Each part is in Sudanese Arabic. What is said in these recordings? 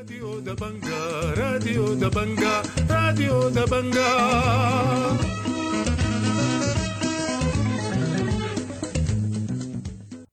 راديو دبنجا، راديو دبنجا، راديو دبنجا.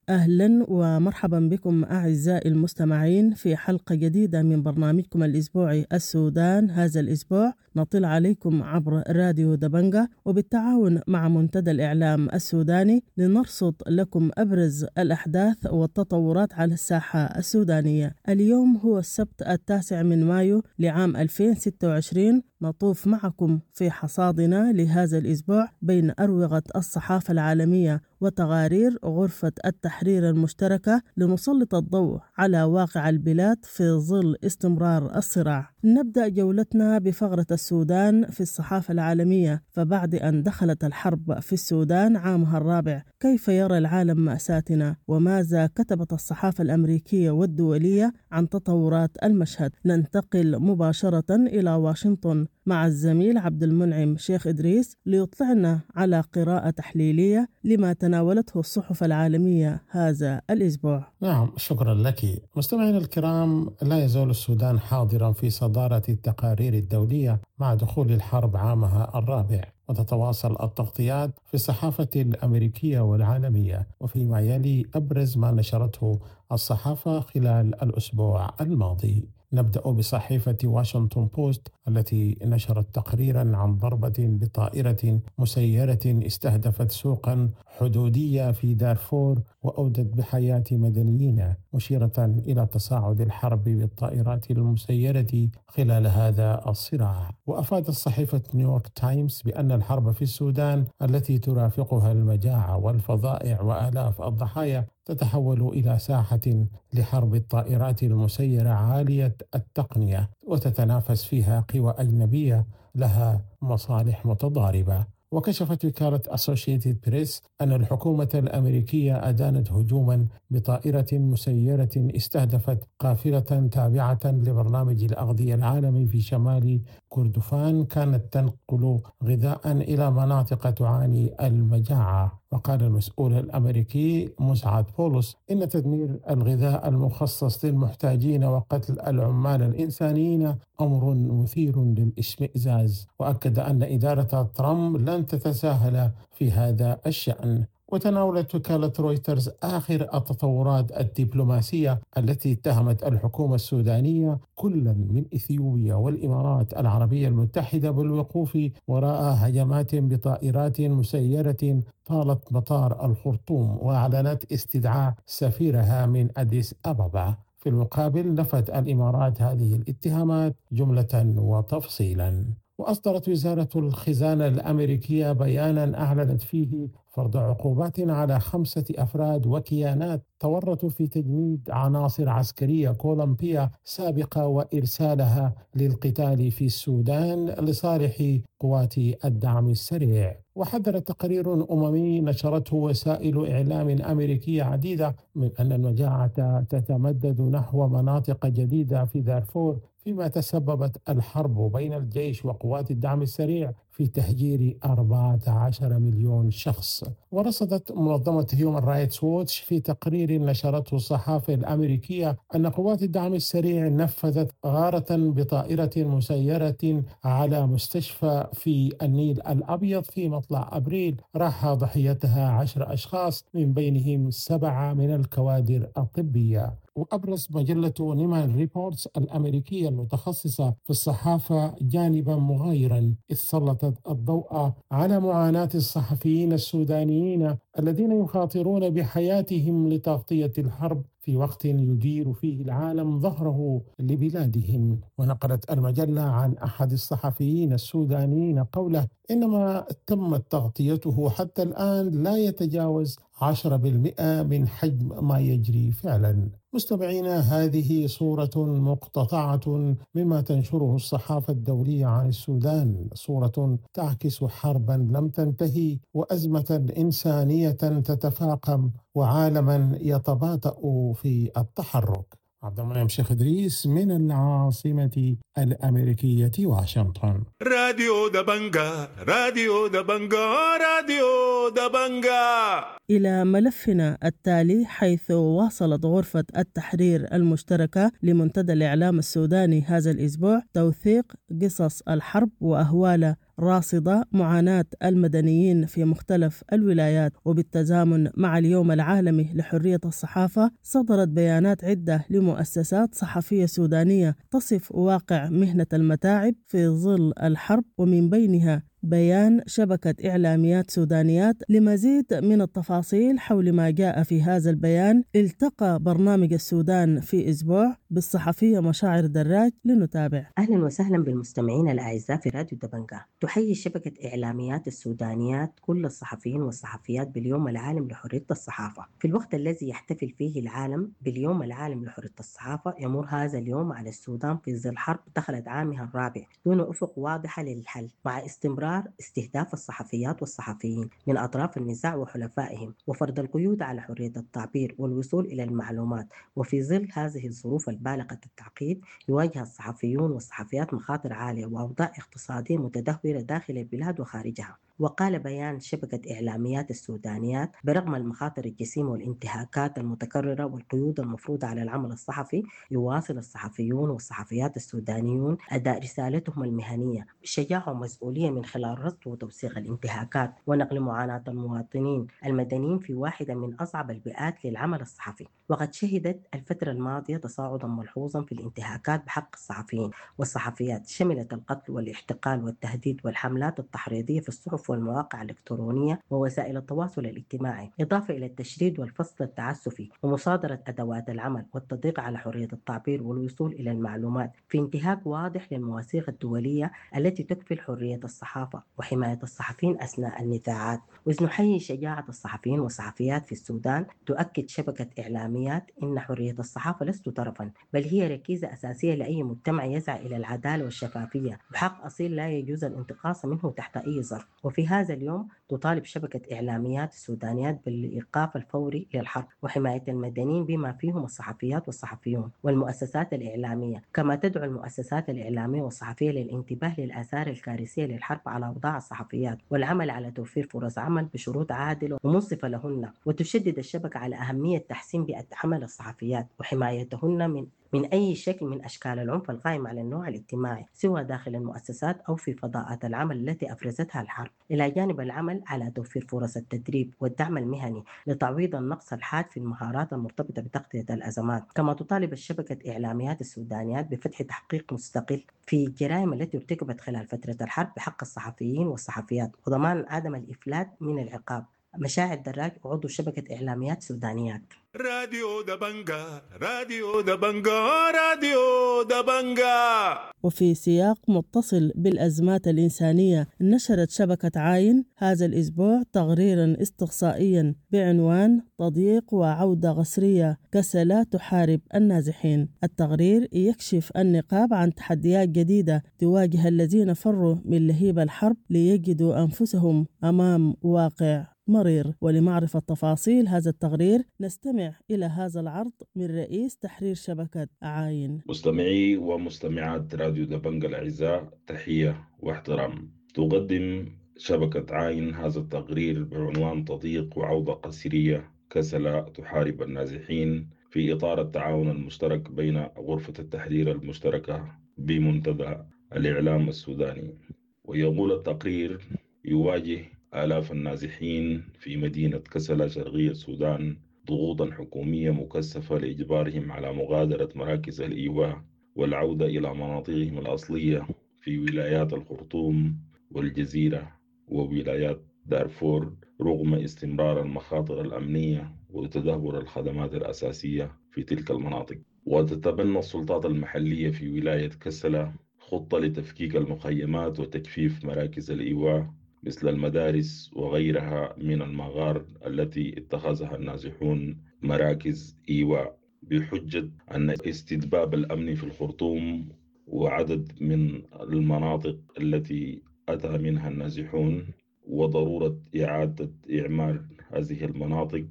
أهلا ومرحبا بكم أعزائي المستمعين في حلقة جديدة من برنامجكم الأسبوعي السودان هذا الأسبوع. نطل عليكم عبر راديو دبنجا وبالتعاون مع منتدى الإعلام السوداني لنرصد لكم أبرز الأحداث والتطورات على الساحة السودانية. اليوم هو السبت 9 من مايو لعام 2026. نطوف معكم في حصادنا لهذا الأسبوع بين أروقة الصحافة العالمية وتقارير غرفة التحرير المشتركة لنسلط الضوء على واقع البلاد في ظل استمرار الصراع. نبدأ جولتنا بفقرة السودان في الصحافة العالمية. فبعد أن دخلت الحرب في السودان عامها الرابع، كيف يرى العالم مأساتنا؟ وماذا كتبت الصحافة الأمريكية والدولية عن تطورات المشهد؟ ننتقل مباشرة إلى واشنطن مع الزميل عبد المنعم شيخ إدريس ليطلعنا على قراءة تحليلية لما تناولته الصحف العالمية هذا الأسبوع. نعم، شكرا لك. مستمعينا الكرام، لا يزال السودان حاضرا في صدارة التقارير الدولية مع دخول الحرب عامها الرابع، وتتواصل التغطيات في الصحافة الأمريكية والعالمية. وفيما يلي أبرز ما نشرته الصحافة خلال الأسبوع الماضي. نبدأ بصحيفة واشنطن بوست التي نشرت تقريرا عن ضربة بطائرة مسيرة استهدفت سوقا حدودية في دارفور وأودت بحياة مدنيين، مشيرة إلى تصاعد الحرب بالطائرات المسيرة خلال هذا الصراع. وأفادت صحيفة نيويورك تايمز بأن الحرب في السودان التي ترافقها المجاعة والفظائع وآلاف الضحايا تتحول إلى ساحة لحرب الطائرات المسيرة عالية التقنية، وتتنافس فيها قوى أجنبية لها مصالح متضاربة. وكشفت وكالة أسوشيتد بريس أن الحكومة الأمريكية أدانت هجوما بطائرة مسيرة استهدفت قافلة تابعة لبرنامج الأغذية العالمي في شمال كردفان كانت تنقل غذاء إلى مناطق تعاني المجاعة. وقال المسؤول الأمريكي مسعد بولس إن تدمير الغذاء المخصص للمحتاجين وقتل العمال الإنسانيين أمر مثير للإشمئزاز، وأكد أن إدارة ترامب لن تتساهل في هذا الشأن. وتناولت وكالة رويترز آخر التطورات الدبلوماسية التي اتهمت الحكومة السودانية كلا من إثيوبيا والإمارات العربية المتحدة بالوقوف وراء هجمات بطائرات مسيرة طالت مطار الخرطوم، وأعلنت استدعاء سفيرها من أديس أبابا. في المقابل نفت الإمارات هذه الاتهامات جملة وتفصيلا. وأصدرت وزارة الخزانة الأمريكية بيانا أعلنت فيه فرض عقوبات على 5 أفراد وكيانات تورطوا في تجنيد عناصر عسكرية كولومبية سابقة وإرسالها للقتال في السودان لصالح قوات الدعم السريع. وحذر تقرير أممي نشرته وسائل إعلام أمريكية عديدة من أن المجاعة تتمدد نحو مناطق جديدة في دارفور، فيما تسببت الحرب بين الجيش وقوات الدعم السريع في تهجير 14 مليون شخص. ورصدت منظمة هيومن رايتس ووتش في تقرير نشرته الصحافة الأمريكية أن قوات الدعم السريع نفذت غارة بطائرة مسيرة على مستشفى في النيل الأبيض في مطلع أبريل راح ضحيتها 10 أشخاص من بينهم 7 من الكوادر الطبية. وأبرز مجلة نيمان ريبورتس الأمريكية المتخصصة في الصحافة جانبا مغايرا، إذ سلطت الضوء على معاناة الصحفيين السودانيين الذين يخاطرون بحياتهم لتغطية الحرب في وقت يدير فيه العالم ظهره لبلادهم. ونقلت المجلة عن أحد الصحفيين السودانيين قوله إنما تمت تغطيته حتى الآن لا يتجاوز 10% من حجم ما يجري فعلا. مستمعينا، هذه صورة مقتطعة مما تنشره الصحافة الدولية عن السودان، صورة تعكس حربا لم تنتهي وأزمة إنسانية تتفاقم وعالما يتباطأ في التحرك. عبد المنعم شيخ إدريس من العاصمة الأمريكية واشنطن. راديو دبنجا، راديو دبنجا، راديو دبنجا. إلى ملفنا التالي، حيث واصلت غرفة التحرير المشتركة لمنتدى الإعلام السوداني هذا الأسبوع توثيق قصص الحرب وأهوال راصدة معاناة المدنيين في مختلف الولايات. وبالتزامن مع اليوم العالمي لحرية الصحافة، صدرت بيانات عدة لمؤسسات صحفية سودانية تصف واقع مهنة المتاعب في ظل الحرب، ومن بينها بيان شبكة إعلاميات سودانيات. لمزيد من التفاصيل حول ما جاء في هذا البيان، التقى برنامج السودان في أسبوع بالصحفية مشاعر دراج لنتابع. أهلا وسهلا بالمستمعين الأعزاء في راديو دبنجا. تحيي شبكة إعلاميات السودانيات كل الصحفيين والصحفيات باليوم العالمي لحرية الصحافة. في الوقت الذي يحتفل فيه العالم باليوم العالمي لحرية الصحافة، يمر هذا اليوم على السودان في ظل حرب دخلت عامها الرابع دون أفق واضحة للحل، مع استمرار استهداف الصحفيات والصحفيين من أطراف النزاع وحلفائهم، وفرض القيود على حرية التعبير والوصول إلى المعلومات. وفي ظل هذه الظروف البالغة التعقيد، يواجه الصحفيون والصحفيات مخاطر عالية وأوضاع اقتصادية متدهورة داخل البلاد وخارجها. وقال بيان شبكة إعلاميات السودانيات: برغم المخاطر الجسيمة والانتهاكات المتكررة والقيود المفروضة على العمل الصحفي، يواصل الصحفيون والصحفيات السودانيون أداء رسالتهم المهنية بشجاعة ومسؤولية من خلال رصد وتوثيق الانتهاكات ونقل معاناة المواطنين المدنيين في واحدة من أصعب البيئات للعمل الصحفي. وقد شهدت الفترة الماضية تصاعدا ملحوظا في الانتهاكات بحق الصحفيين والصحفيات، شملت القتل والاحتقال والتهديد والحملات التحريضية في الصحف والمواقع الإلكترونية ووسائل التواصل الاجتماعي، إضافة إلى التشريد والفصل التعسفي ومصادرة أدوات العمل والتضييق على حرية التعبير والوصول إلى المعلومات، في انتهاك واضح للمواثيق الدولية التي تكفل حرية الصحافة وحماية الصحفيين أثناء النزاعات. وإذ نحيي شجاعة الصحفيين والصحفيات في السودان، تؤكد شبكة إعلاميات إن حرية الصحافة لست طرفا، بل هي ركيزة أساسية لأي مجتمع يسعى إلى العدالة والشفافية، وحق أصيل لا يجوز الانتقاص منه تحت أي ظرف. وفي هذا اليوم تطالب شبكة إعلاميات السودانيات بالإيقاف الفوري للحرب وحماية المدنيين بما فيهم الصحفيات والصحفيون والمؤسسات الإعلامية، كما تدعو المؤسسات الإعلامية والصحفية للانتباه للآثار الكارثية للحرب على أوضاع الصحفيات والعمل على توفير فرص عمل بشروط عادلة ومنصفة لهن. وتشدد الشبكة على أهمية تحسين بيئة عمل الصحفيات وحمايتهن من أي شكل من أشكال العنف القائم على النوع الاجتماعي، سواء داخل المؤسسات أو في فضاءات العمل التي أفرزتها الحرب، إلى جانب العمل على توفير فرص التدريب والدعم المهني لتعويض النقص الحاد في المهارات المرتبطة بتغطية الأزمات. كما تطالب الشبكة إعلاميات السودانيات بفتح تحقيق مستقل في الجرائم التي ارتكبت خلال فترة الحرب بحق الصحفيين والصحفيات وضمان عدم الإفلات من العقاب. مشاعر دراج، عضو شبكة إعلاميات سودانيات. راديو دبنجا، راديو دبنجا، راديو دبنجا. وفي سياق متصل بالأزمات الإنسانية، نشرت شبكة عاين هذا الأسبوع تقريرا استقصائيا بعنوان تضييق وعودة قسرية، كسلا تحارب النازحين. التقرير يكشف النقاب عن تحديات جديدة تواجه الذين فروا من لهيب الحرب ليجدوا أنفسهم أمام واقع مرير. ولمعرفة تفاصيل هذا التقرير نستمع إلى هذا العرض من رئيس تحرير شبكة عاين. مستمعي ومستمعات راديو دبنجا الأعزاء، تحية واحترام. تقدم شبكة عاين هذا التقرير بعنوان تضييق وعودة قسرية، كسلا تحارب النازحين، في إطار التعاون المشترك بين غرفة التحرير المشتركة بمنتدى الإعلام السوداني. ويقول التقرير: يواجه آلاف النازحين في مدينة كسلا شرقية السودان ضغوطا حكومية مكثفة لإجبارهم على مغادرة مراكز الإيواء والعودة إلى مناطقهم الأصلية في ولايات الخرطوم والجزيرة وولايات دارفور، رغم استمرار المخاطر الأمنية وتدهور الخدمات الأساسية في تلك المناطق. وتتبنى السلطات المحلية في ولاية كسلا خطة لتفكيك المخيمات وتجفيف مراكز الإيواء مثل المدارس وغيرها من المغار التي اتخذها النازحون مراكز إيواء، بحجة أن استتباب الأمن في الخرطوم وعدد من المناطق التي أتى منها النازحون وضرورة إعادة إعمار هذه المناطق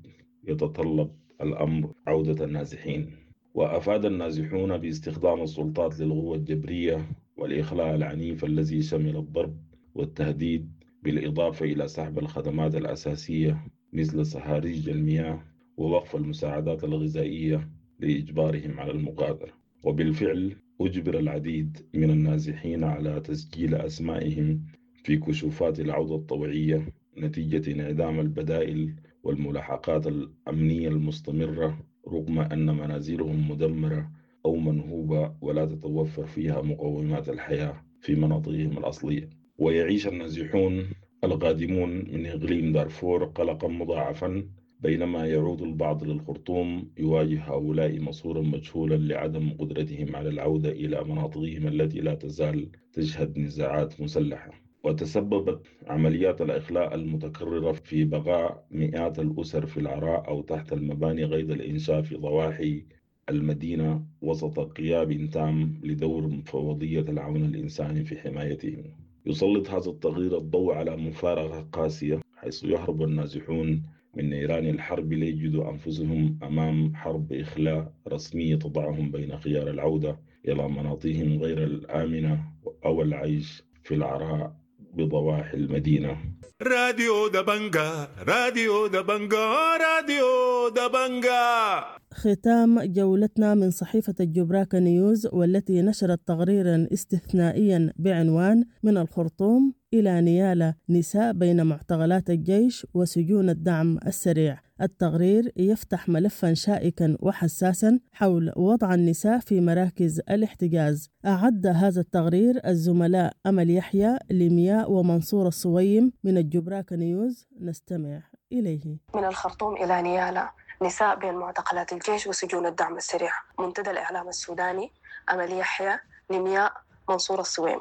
يتطلب الأمر عودة النازحين. وأفاد النازحون باستخدام السلطات للقوة الجبرية والإخلاء العنيف الذي شمل الضرب والتهديد، بالإضافة إلى سحب الخدمات الأساسية مثل صهاريج المياه ووقف المساعدات الغذائية لإجبارهم على المغادرة. وبالفعل أجبر العديد من النازحين على تسجيل أسمائهم في كشوفات العودة الطوعية نتيجة انعدام البدائل والملاحقات الأمنية المستمرة، رغم أن منازلهم مدمرة أو منهوبة ولا تتوفر فيها مقومات الحياة في مناطقهم الأصلية. ويعيش النازحون القادمون من إقليم دارفور قلقا مضاعفا، بينما يعود البعض للخرطوم يواجه هؤلاء مصيرا مجهولا لعدم قدرتهم على العودة إلى مناطقهم التي لا تزال تشهد نزاعات مسلحة. وتسببت عمليات الإخلاء المتكررة في بقاء مئات الأسر في العراء أو تحت المباني قيد الإنشاء في ضواحي المدينة، وسط غياب تام لدور مفوضية العون الإنساني في حمايتهم. يسلط هذا التغيير الضوء على مفارقة قاسية، حيث يهرب النازحون من نيران الحرب ليجدوا أنفسهم أمام حرب إخلاء رسمية تضعهم بين خيار العودة إلى مناطقهم غير الآمنة أو العيش في العراء بضواحي المدينة. راديو دبنجا، راديو دبنجا، راديو دبنجا. ختام جولتنا من صحيفة الجبراكة نيوز، والتي نشرت تقريرا استثنائيا بعنوان من الخرطوم إلى نيالا، نساء بين معتقلات الجيش وسجون الدعم السريع. التقرير يفتح ملفا شائكا وحساسا حول وضع النساء في مراكز الاحتجاز. أعد هذا التقرير الزملاء أمل يحيى، لمياء، ومنصور الصويم من الجبراكة نيوز. نستمع إليه. من الخرطوم إلى نيالا، نساء بين معتقلات الجيش وسجون الدعم السريع. منتدى الإعلام السوداني، أمل يحيى، لمياء، منصور الصويم،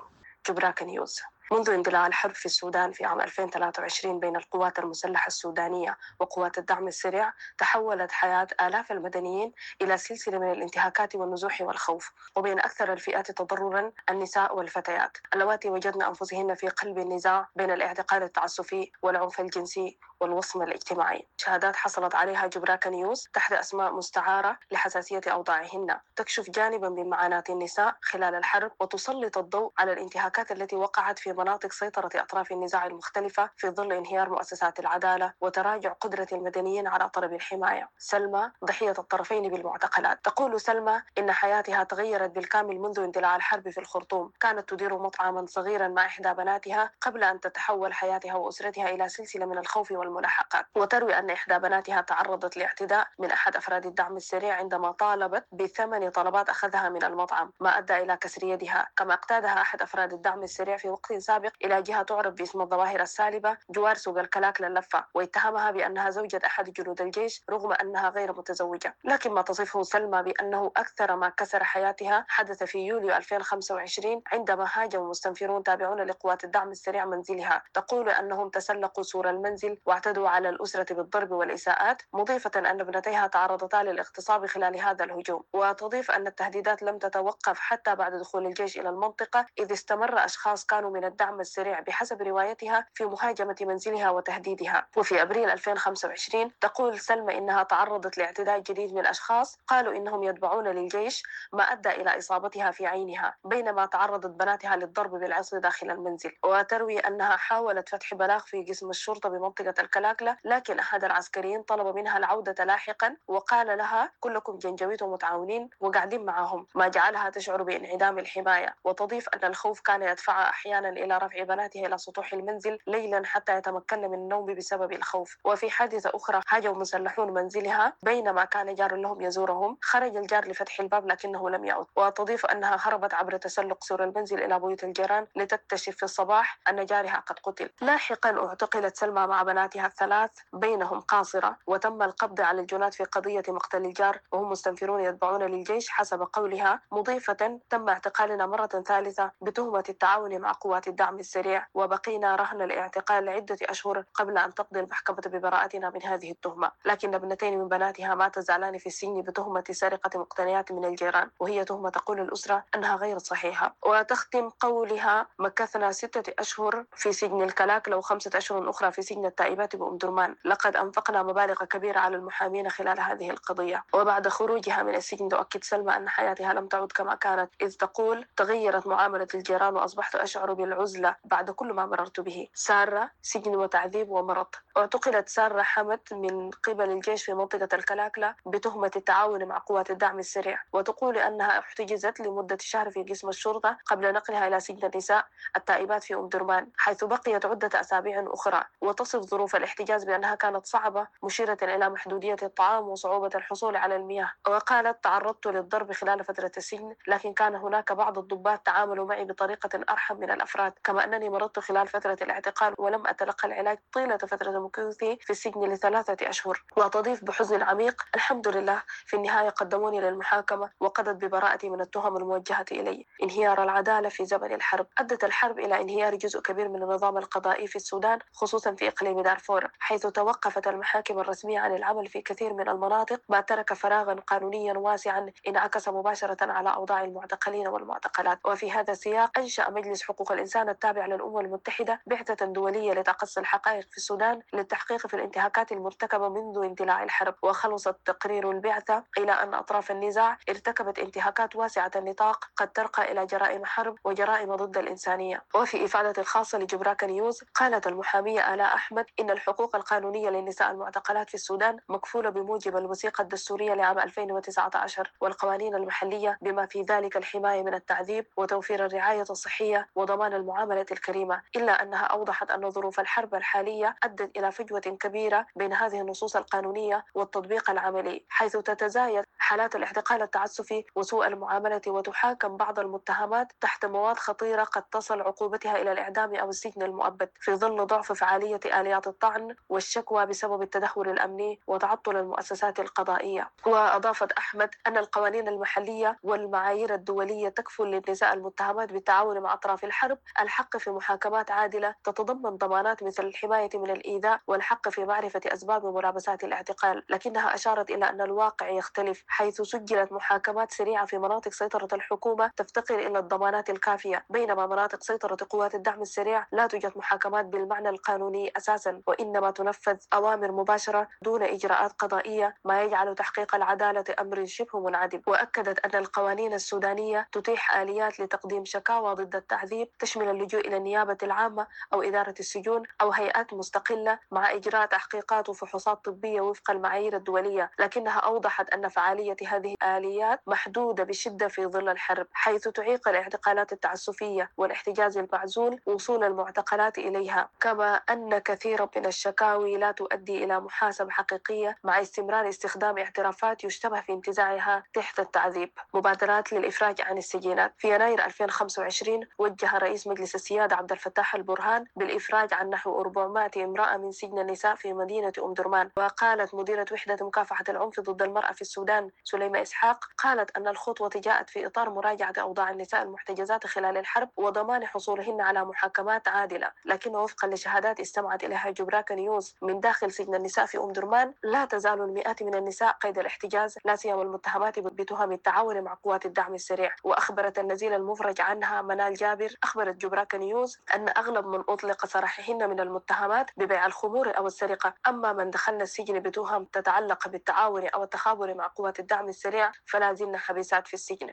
جبراكة نيوز. منذ اندلاع الحرب في السودان في عام 2023 بين القوات المسلحة السودانية وقوات الدعم السريع، تحولت حياة آلاف المدنيين إلى سلسلة من الانتهاكات والنزوح والخوف، وبين أكثر الفئات تضررا النساء والفتيات اللواتي وجدن أنفسهن في قلب النزاع بين الاعتقال التعسفي والعنف الجنسي والوصم الاجتماعي. شهادات حصلت عليها جبراكة نيوز تحت أسماء مستعارة لحساسية أوضاعهن تكشف جانبا من معاناة النساء خلال الحرب، وتسلط الضوء على الانتهاكات التي وقعت في مناطق سيطرة أطراف النزاع المختلفة في ظل انهيار مؤسسات العدالة وتراجع قدرة المدنيين على طلب الحماية. سلمى ضحية الطرفين بالمعتقلات. تقول سلمى إن حياتها تغيرت بالكامل منذ اندلاع الحرب في الخرطوم. كانت تدير مطعما صغيرا مع إحدى بناتها قبل أن تتحول حياتها وأسرتها إلى سلسلة من الخوف والملاحقات. وتروي أن إحدى بناتها تعرضت لاعتداء من أحد أفراد الدعم السريع عندما طالبت بثمن طلبات أخذها من المطعم، ما أدى إلى كسر يدها. كما اقتادها أحد أفراد الدعم السريع في وقت سابق إلى جهة تعرف باسم الظواهر السالبة جوار سوق الكلاك للفة، واتهمها بأنها زوجة أحد جنود الجيش رغم أنها غير متزوجة. لكن ما تصفه سلمى بأنه أكثر ما كسر حياتها حدث في يوليو 2025 عندما هاجم مستنفرون تابعون لقوات الدعم السريع منزلها. تقول أنهم تسلقوا سور المنزل واعتدوا على الأسرة بالضرب والإساءات، مضيفة أن ابنتيها تعرضتا للاغتصاب خلال هذا الهجوم. وتضيف أن التهديدات لم تتوقف حتى بعد دخول الجيش إلى المنطقة، إذ استمر أشخاص كانوا من الدعم السريع بحسب روايتها في مهاجمة منزلها وتهديدها. وفي أبريل 2025 تقول سلمى إنها تعرضت لاعتداء جديد من أشخاص قالوا إنهم يتبعون للجيش، ما أدى إلى إصابتها في عينها، بينما تعرضت بناتها للضرب بالعصي داخل المنزل. وتروي أنها حاولت فتح بلاغ في قسم الشرطة بمنطقة الكلاكلة، لكن أحد العسكريين طلب منها العودة لاحقا وقال لها كلكم جنجويت ومتعاونين وقاعدين معهم، ما جعلها تشعر بانعدام الحماية. وتضيف أن الخوف كان يدفعها أحيانا إلى رفع بناتها إلى سطوح المنزل ليلا حتى يتمكن من النوم بسبب الخوف. وفي حادثة أخرى هاجموا مسلحون منزلها بينما كان جار لهم يزورهم، خرج الجار لفتح الباب لكنه لم يعد. وتضيف أنها هربت عبر تسلق سور المنزل إلى بيوت الجيران لتكتشف في الصباح أن جارها قد قتل. لاحقا اعتقلت سلمى مع بناتها الثلاث بينهم قاصرة، وتم القبض على الجنات في قضية مقتل الجار وهم مستنفرون يتبعون للجيش حسب قولها، مضيفة تم اعتقالنا مرة ثالثة بتهمة التعاون مع قوات الدعم السريع، وبقينا رهن الاعتقال لعدة أشهر قبل أن تقضي المحكمة ببراءتنا من هذه التهمة. لكن ابنتين من بناتها ما تزالان في السجن بتهمة سرقة مقتنيات من الجيران، وهي تهمة تقول الأسرة أنها غير صحيحة. وتختم قولها: مكثنا 6 أشهر في سجن الكلاكلة و5 أشهر أخرى في سجن التائبات بأم درمان، لقد أنفقنا مبالغ كبيرة على المحامين خلال هذه القضية. وبعد خروجها من السجن تؤكد سلمى أن حياتها لم تعد كما كانت، إذ تقول: تغيرت معاملة الجيران وأصبحت أشعر بالعزلة بعد كل ما مررت به. سارة سجن وتعذيب ومرض. اعتقلت سارة حمد من قبل الجيش في منطقة الكلاكلة بتهمة التعاون مع قوات الدعم السريع، وتقول أنها احتجزت لمدة شهر في قسم الشرطة قبل نقلها إلى سجن النساء التائبات في أم درمان، حيث بقيت عدة أسابيع أخرى. وتصف ظروف الاحتجاز بأنها كانت صعبة، مشيرة إلى محدودية الطعام وصعوبة الحصول على المياه. وقالت: تعرضت للضرب خلال فترة السجن، لكن كان هناك بعض الضباط تعاملوا معي بطريقة أرحم من الأفراد، كما أنني مرضت خلال فترة الاعتقال ولم أتلقى العلاج طيلة فترة مكوثي في السجن ل3 أشهر. وتضيف بحزن عميق: الحمد لله في النهاية قدموني للمحاكمة وقضت ببراءتي من التهم الموجهة إلي. انهيار العدالة في زمن الحرب. أدت الحرب إلى انهيار جزء كبير من النظام القضائي في السودان، خصوصا في إقليم دارفور، حيث توقفت المحاكم الرسمية عن العمل في كثير من المناطق، ما ترك فراغا قانونيا واسعا انعكس مباشرة على أوضاع المعتقلين والمعتقلات. وفي هذا السياق أنشأ مجلس حقوق الإنسان التابع للأمم المتحدة بعثة دولية لتقصي الحقائق في السودان للتحقيق في الانتهاكات المرتكبة منذ اندلاع الحرب. وخلصت تقرير البعثة إلى أن أطراف النزاع ارتكبت انتهاكات واسعة النطاق قد ترقى إلى جرائم حرب وجرائم ضد الإنسانية. وفي إفادة خاصة لجبراك نيوز قالت المحامية آلاء أحمد إن الحقوق القانونية للنساء المعتقلات في السودان مكفولة بموجب الوثيقة الدستورية لعام 2019 والقوانين المحلية، بما في ذلك الحماية من التعذيب وتوفير الرعاية الصحية وضمان المعاملة الكريمة. إلا أنها أوضحت أن ظروف الحرب الحالية أدت إلى فجوة كبيرة بين هذه النصوص القانونية والتطبيق العملي، حيث تتزايد حالات الاعتقال التعسفي وسوء المعاملة، وتحاكم بعض المتهمات تحت مواد خطيرة قد تصل عقوبتها إلى الإعدام أو السجن المؤبد، في ظل ضعف فعالية آليات الطعن والشكوى بسبب التدهور الأمني وتعطل المؤسسات القضائية. وأضافت أحمد أن القوانين المحلية والمعايير الدولية تكفل للنساء المتهمات بالتعاون مع أطراف الحرب الحق في محاكمات عادلة تتضمن ضمانات مثل الحماية من الإيذاء والحق في معرفة أسباب ملابسات الاعتقال. لكنها أشارت إلى أن الواقع يختلف، حيث سجلت محاكمات سريعة في مناطق سيطرة الحكومة تفتقر إلى الضمانات الكافية، بينما مناطق سيطرة قوات الدعم السريع لا توجد محاكمات بالمعنى القانوني أساسا، وإنما تنفذ أوامر مباشرة دون إجراءات قضائية، ما يجعل تحقيق العدالة أمر شبه منعدم. وأكدت أن القوانين السودانية تتيح آليات لتقديم شكاوى ضد التعذيب تشمل اللجوء إلى النيابة العامة أو إدارة السجون أو هيئات مستقلة، مع إجراء تحقيقات وفحوصات طبية وفق المعايير الدولية. لكنها أوضحت أن فعالية هذه الآليات محدودة بشدة في ظل الحرب، حيث تعيق الاعتقالات التعسفية والاحتجاز المعزول وصول المعتقلات إليها، كما أن كثيرا من الشكاوي لا تؤدي إلى محاسبة حقيقية مع استمرار استخدام اعترافات يشتبه في انتزاعها تحت التعذيب. مبادرات للإفراج عن السجينات. في يناير 2025 وجه رئيس مجلس السيادة عبد الفتاح البرهان بالإفراج عن نحو 400 امرأة من سجن النساء في مدينة أم درمان. وقالت مديرة وحدة مكافحة العنف ضد المرأة في السودان سليمة إسحاق، قالت أن الخطوة جاءت في إطار مراجعة أوضاع النساء المحتجزات خلال الحرب وضمان حصولهن على محاكمات عادلة. لكن وفقا لشهادات استمعت إليها جبراك نيوز من داخل سجن النساء في أم درمان، لا تزال المئات من النساء قيد الاحتجاز، لا سيما المتهمات بتهم التعاون مع قوات الدعم السريع. وأخبرت النزيل المفرج عنها منال جابر، أخبرت جبراك نيوز أن أغلب من أطلق سراحهن من المتهمات ببيع الخمور أو السرقة، أما من دخلن السجن بتهم تتعلق بالتعاون أو التخابر مع قوات الدعم السريع فلا زلن حبيسات في السجن.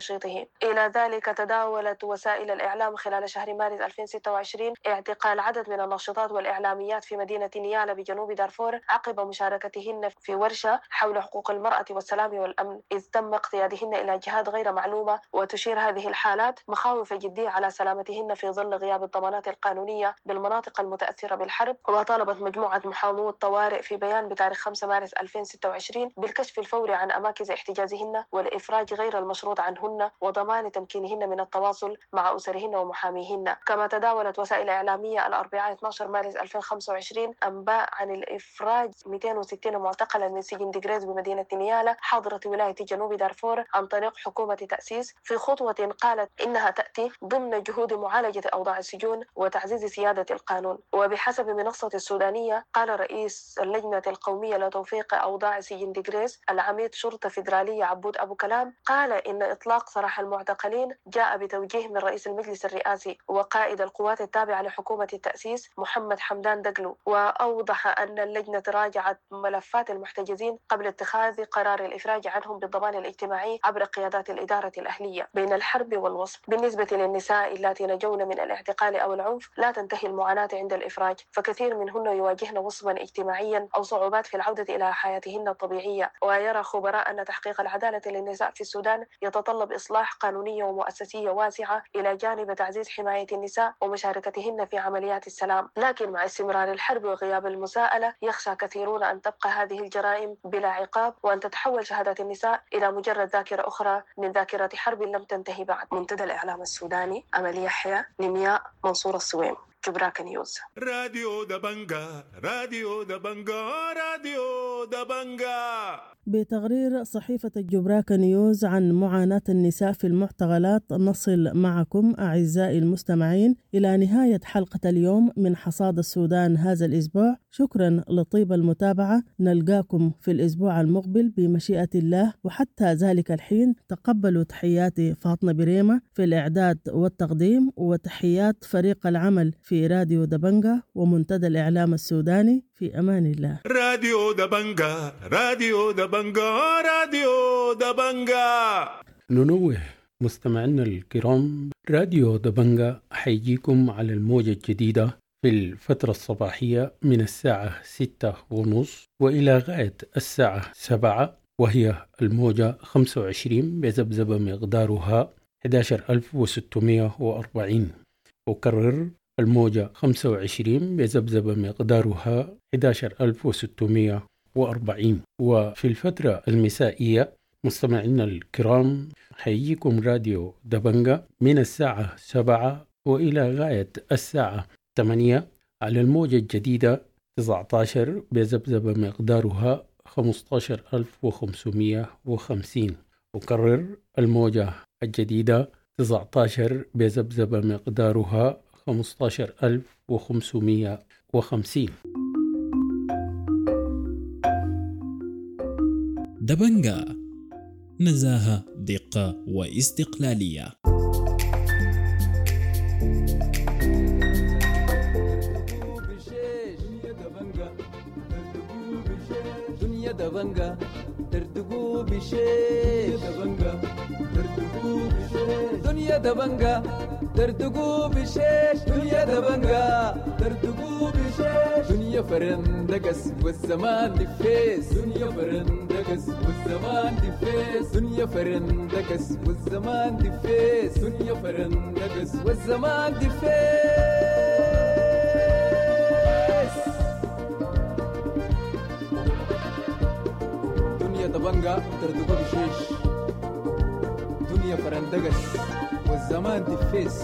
إلى ذلك تداولت وسائل الإعلام خلال شهر مارس 2026 اعتقال عدد من الناشطات والإعلاميات في مدينة نيالا بجنوب دارفور عقب مشاركتهن في ورشة حول حقوق المرأة والسلام والأمن، إذ تم اقتيادهن إلى جهات غير معلومة. وتشير هذه الحالات مخاوف جدية على سلامتهن في ظل غياب الضمانات القانونية بالمناطق المتأثرة بالحرب. وطالبت مجموعة محامو الطوارئ في بيان بتاريخ 5 مارس 2026 بالكشف الفوري عن أماكن احتجازهن والإفراج غير المشروط عنهن وضمان تمكينهن من التواصل مع أسرهن ومحاميهن. كما تداولت وسائل إعلامية الأربعاء 12 مارس 2025 أنباء عن الإفراج 260 معتقلا من سجن ديغريز بمدينة نيالا حاضرة ولاية جنوب دارفور عن طريق حكومة تأسيس، في خطوة قالت إنها تأتي ضمن جهود معالجة أوضاع السجون وتعزيز سيادة القانون. وبحسب منصة السودانية، قال رئيس اللجنة القومية لتوفيق أوضاع سجن ديغريس العميد شرطة فيدرالية عبود أبو كلام، قال إن إطلاق سراح المعتقلين جاء بتوجيه من رئيس المجلس الرئاسي وقائد القوات التابعة لحكومة التأسيس محمد حمدان دقلو. وأوضح أن اللجنة راجعت ملفات المحتجزين قبل اتخاذ قرار الإفراج عنهم بالضمان الاجتماعي عبر قيادات الإدارة الأهلية. بين الحرب والوصف، بالنسبة للنساء اللاتي نجون من الاعتقال أو العنف لا تنتهي المعاناة عند الإفراج، فكثير منهن يواجهن وصما اجتماعيا أو صعوبات في العودة إلى حياتهن الطبيعية. ويرى خبراء أن تحقيق العدالة للنساء في السودان يتطلب إصلاح قانونية ومؤسسية واسعة إلى جانب تعزيز حماية النساء ومشاركتهن في عمليات السلام. لكن مع استمرار الحرب وغياب المساءلة يخشى كثيرون أن تبقى هذه الجرائم بلا عقاب، وأن تتحول شهادات النساء إلى مجرد ذاكرة أخرى من ذاكرة حرب لم تنتهي بعد. منتدى الإعلام السوداني، أمل يحيى، نمياء، منصور الصويم، جبراك نيوز. راديو دبنجا، راديو دبنجا، راديو دبنجا. بتقرير صحيفة الجبراكة نيوز عن معاناة النساء في المعتقلات نصل معكم أعزائي المستمعين إلى نهاية حلقة اليوم من حصاد السودان هذا الأسبوع. شكرا لطيب المتابعة، نلقاكم في الأسبوع المقبل بمشيئة الله، وحتى ذلك الحين تقبلوا تحياتي فاطمة بريمة في الإعداد والتقديم، وتحيات فريق العمل في راديو دبنجا ومنتدى الإعلام السوداني. في أمان الله. راديو دبنجا، راديو دبنجا، راديو دبنجا. ننوه مستمعينا الكرام، راديو دبنجا حيجيكم على الموجة الجديدة في الفترة الصباحية من الساعة 6:30 وإلى غاية الساعة 7، وهي الموجة 25 بذبذبة مقدارها 11640. أكرر، الموجة 25 بذبذبة مقدارها 11640. وفي الفترة المسائية مستمعينا الكرام حيجيكم راديو دبنجا من الساعة 7 وإلى غاية الساعة 8 على الموجة الجديدة 19 بذبذبة مقدارها 15550. أكرر، الموجة الجديدة 19 بذبذبة مقدارها 15550. دبنجا، نزاهة، دقة واستقلالية. دنيا دبنجا دردقوا بشيش، دنيا دبنجا دردقوا بشيش، دنيا دبنجا دردقوا بشيش، دنيا فرندقس والزمان دفيس، دنيا فرندقس والزمان دفيس، دنيا فرندقس والزمان دفيس، دنيا فرندقس والزمان دفيس. دنيا دبنجا دردقوا بشيش، دنيا فرندقس والزمان دفيس.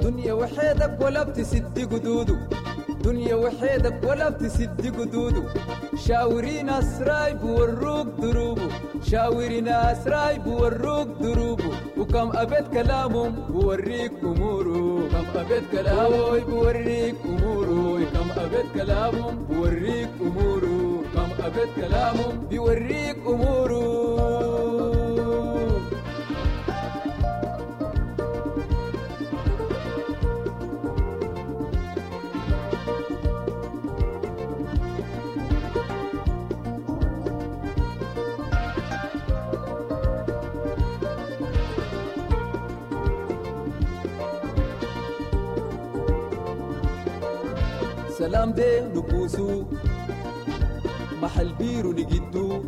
دنيا وحيدك ولا بتسد قدوده، دنيا وحيدك ولا بتسد قدوده، شاوري ناس رايب وروك دروبه، شاوري ناس رايب وروك دروبه، وكم أبيت كلامهم بوريك أموره، كم أبيت كلامه بوريك أموره، كم أبيت كلامهم بوريك أموره، كم أبيت كلامهم بيوريك أموره. سلام دي نكوسو محل بيرو نجدو،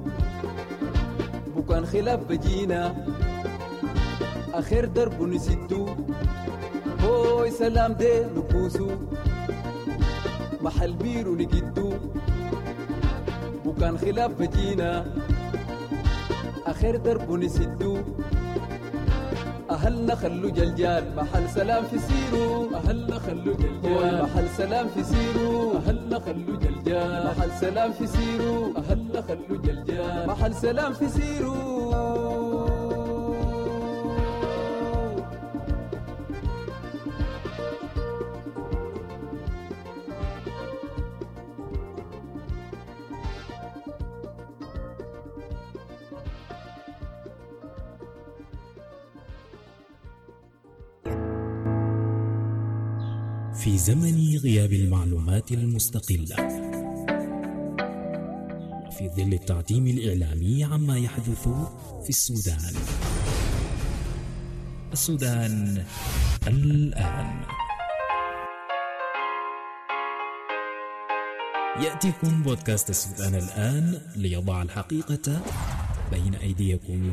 بكان خلاف بجينا آخر درب نسدو، هوي سلام دي نكوسو محل بيرو نجدو، بكان خلاف بجينا آخر درب نسدو. أهلنا خلو جلجال محل سلام في سيرو، أهلنا خلو جلجال محل سلام في سيرو، أهلنا خلو جلجال محل سلام في سيرو، أهلنا خلو جلجال محل سلام في سيرو. في زمن غياب المعلومات المستقلة وفي ظل التعتيم الإعلامي عما يحدث في السودان، السودان الآن يأتيكم بودكاست السودان الآن ليضع الحقيقة بين أيديكم.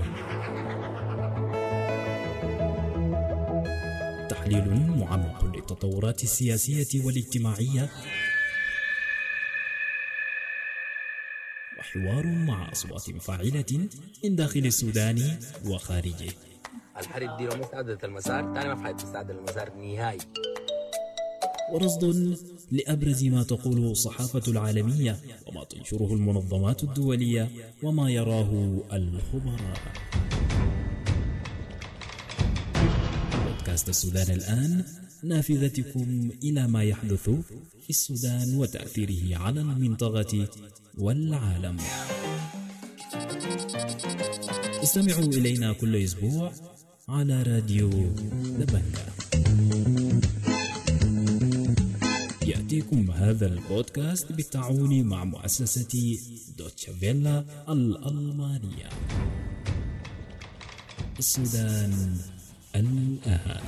تحليل معمق للتطورات السياسية والاجتماعية، وحوار مع أصوات فاعلة من داخل السودان وخارجه. الحرب دي لو ما استعدلت المسار تاني ما في حاجة تستعدل المسار نهائي. ورصد لأبرز ما تقوله الصحافة العالمية وما تنشره المنظمات الدولية وما يراه الخبراء. بودكاست السودان الآن، نافذتكم إلى ما يحدث في السودان وتأثيره على المنطقة والعالم. استمعوا إلينا كل أسبوع على راديو دبنجا. يأتيكم هذا البودكاست بالتعاون مع مؤسسة دوتشا فيلا الألمانية. السودان الآن.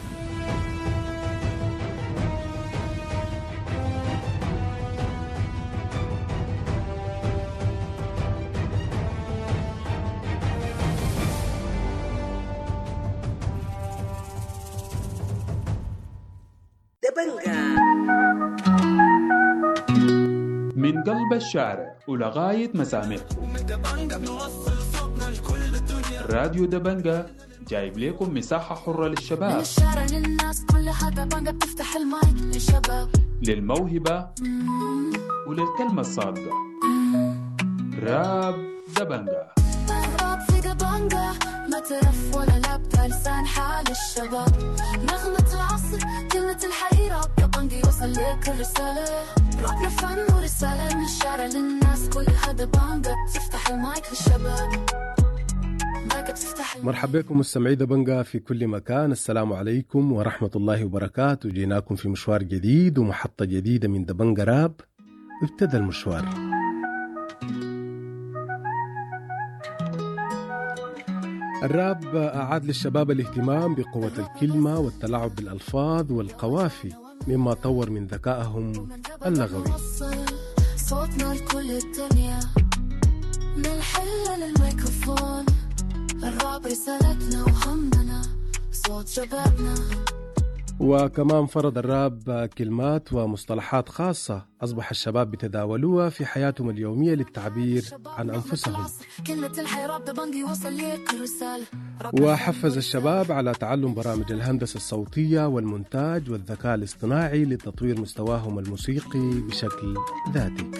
من قلب الشارع ولغاية مسامعكم، راديو دبنجا جايب لكم مساحة حرة للشباب، الشارع للناس كلها دبنجا بتفتح المايك للشباب، للموهبة وللكلمة الصادقة. راب دبنجا، راب في دبنجا ما ترف ولا لابتة، لسان حال الشباب، نغمة العصر، كلمة الحقيقة، دبنجا يوصل لك الرسالة، رابنا فن ورسالة من الشارع للناس كلها دبنجا بتفتح المايك للشباب. مرحبا بكم مستمعي دبنجا في كل مكان، السلام عليكم ورحمة الله وبركاته. جيناكم في مشوار جديد ومحطة جديدة من دبنجا راب. ابتدى المشوار. الراب أعاد للشباب الاهتمام بقوة الكلمة والتلاعب بالألفاظ والقوافي، مما طور من ذكائهم اللغوي. صوتنا لكل الدنيا، من الحلة للميكروفون، الراب رسالتنا وهمنا، صوت شبابنا. وكمان فرض الراب كلمات ومصطلحات خاصة أصبح الشباب بتداولوها في حياتهم اليومية للتعبير عن أنفسهم. وحفز الشباب على تعلم برامج الهندسة الصوتية والمونتاج والذكاء الاصطناعي لتطوير مستواهم الموسيقي بشكل ذاتي.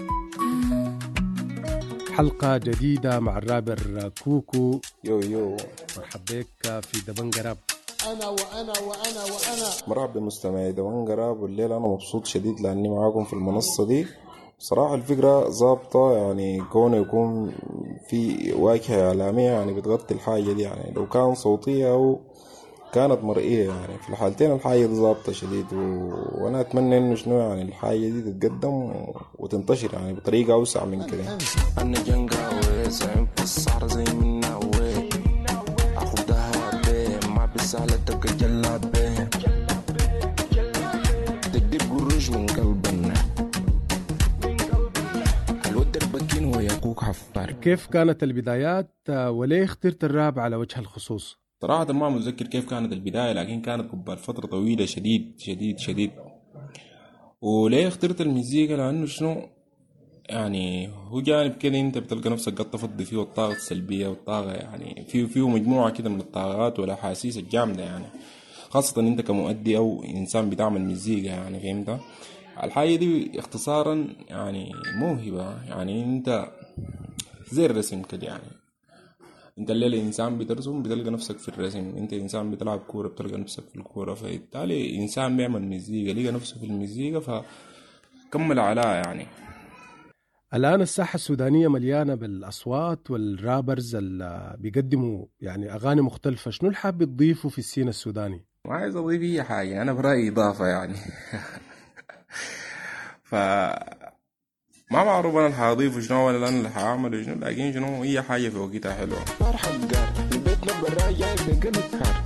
حلقة جديدة مع الرابر كوكو. yo yo، مرحبا بك في دبنجا راب. أنا وأنا وأنا وأنا مرحبا بمستمعي دبنجا راب. والليلة أنا مبسوط شديد لأني معاكم في المنصة دي. صراحة الفكرة ظابطة، يعني كونه يكون في واجهة إعلامية يعني بتغطي الحاجة دي، يعني لو كان صوتية أو كانت مرئية، يعني في الحالتين الحاجة دي ظابطة شديد. وأنا أتمنى إنه شنو يعني الحاجة دي تتقدم وتنتشر يعني بطريقة أوسع من كده. أنا جنجاوي زعيم في الصحراء زي مناوي، أخدها بي ما بسهلة تبقى جلابي، تقدر قروش من قلبنا الود البكين وياكوك حفار. كيف كانت البدايات وليه اخترت الراب على وجه الخصوص؟ صراحة ما متذكر كيف كانت البداية، لكن كانت قبل فترة طويلة شديد شديد شديد. وليه اخترت المزيكا؟ لأنه شنو يعني هو جانب كده انت بتلقى نفسك قد تفضي فيه الطاقة السلبية والطاقة، يعني فيه مجموعة كده من الطاقات والأحاسيس الجامدة يعني، خاصة انت كمؤدي او انسان بتعمل مزيكا يعني، فهمت؟ الحاجة دي اختصارا يعني موهبة، يعني انت زي الرسم كده يعني، انت الليلة انسان بترسم بتلقى نفسك في الرسم، انت انسان بتلعب كورة بتلقى نفسك في الكورة، فبالتالي انسان بيعمل مزيكا لقى نفسه في المزيكا فكمل عليها يعني. الآن الساحة السودانية مليانة بالأصوات وال rappers اللي بيقدموا يعني أغاني مختلفة، شنو اللي حابب تضيفه في ال scene السوداني؟ ما عايز أضيف أي حاجة، أنا برأيي إضافة يعني. ف ما معروف أنا اللي حاضيفه شنو ولا أنا اللي حاعمله شنو، لكن شنو أي حاجة في وقتها حلوة. نار حقار لبيتنا برا جاي بقلب حار،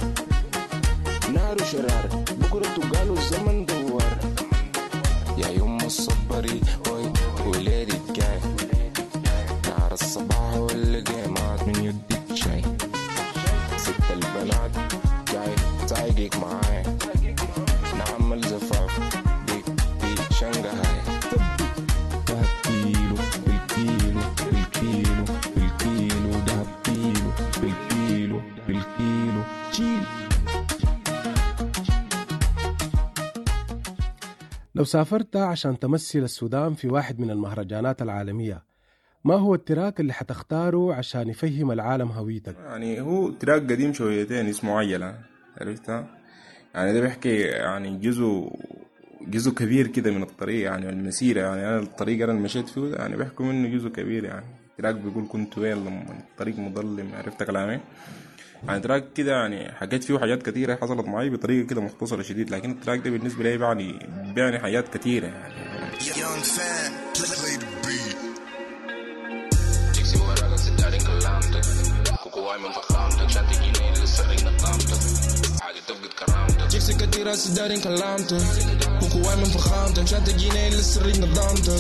نار وشرار بكرة تقالوا الزمن دوار، يا يوم الصبري هوي وليدي الجاي، نار الصباح واللقيمات من يدك شاي، ست البنات جاي سايقك معاي، نعمل زفاف بيك في شنغهاي، دهب كيلو بالكيلو بالكيلو بالكيلو، دهب كيلو بالكيلو بالكيلو شيل. لو سافرت عشان تمثل السودان في واحد من المهرجانات العالمية، ما هو ال track اللي حتختاره عشان يفهم العالم هويتك؟ يعني هو track قديم شويتين اسمه عجلة، عرفتها؟ يعني ده بيحكي يعني جزء كبير كده من الطريق يعني المسيرة، يعني أنا الطريق أنا اللي مشيت فيه يعني بيحكوا منه جزء كبير يعني. track بيقول كنت وين لما الطريق مظلم، عرفت كلامي؟ يعني track كده يعني حكيت فيه حاجات كتيرة حصلت معي بطريقة كده مختصرة شديد، لكن ال track ده بالنسبة لي بيعني حاجات كتيرة يعني. جيكسي كتيرة سدارين كلامتك وكواي من فخامتك، عشان تجيني للسريق نظامتك،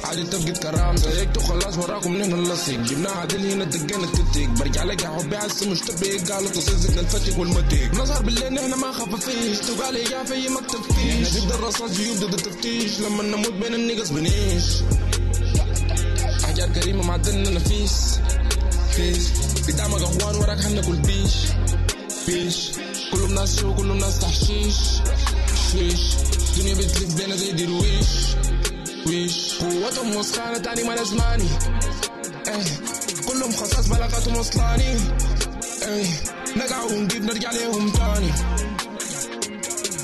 عادي تفقد كرامتك، سيكتو خلاص وراكم نحن نلصق، جبنا عادل هنا دقينا التتك، برجع لك يا حبي عسى مش تبيك، قالوا تصير زدنا الفتك والمتك، نظهر بالليل نحن ما خفافيش، تقال يا في مكتب فيش، نحن ضد الرصاص جيوب ضد التفتيش، لما نموت بين النقص بنعيش، أحجار كريمة معدننا نفيس فيس، قدامك أخوان وراك حناكل بيش بيش، كلهم ناس شو كلهم ناس تحشيش شيش، الدنيا بتلف بينا زي درويش ويش، قوتهم وسخانة تاني ما لازماني، ايه كلهم خصاص بلاغاتهم وصلاني، ايه نقع ونجيب نرجع ليهم تاني،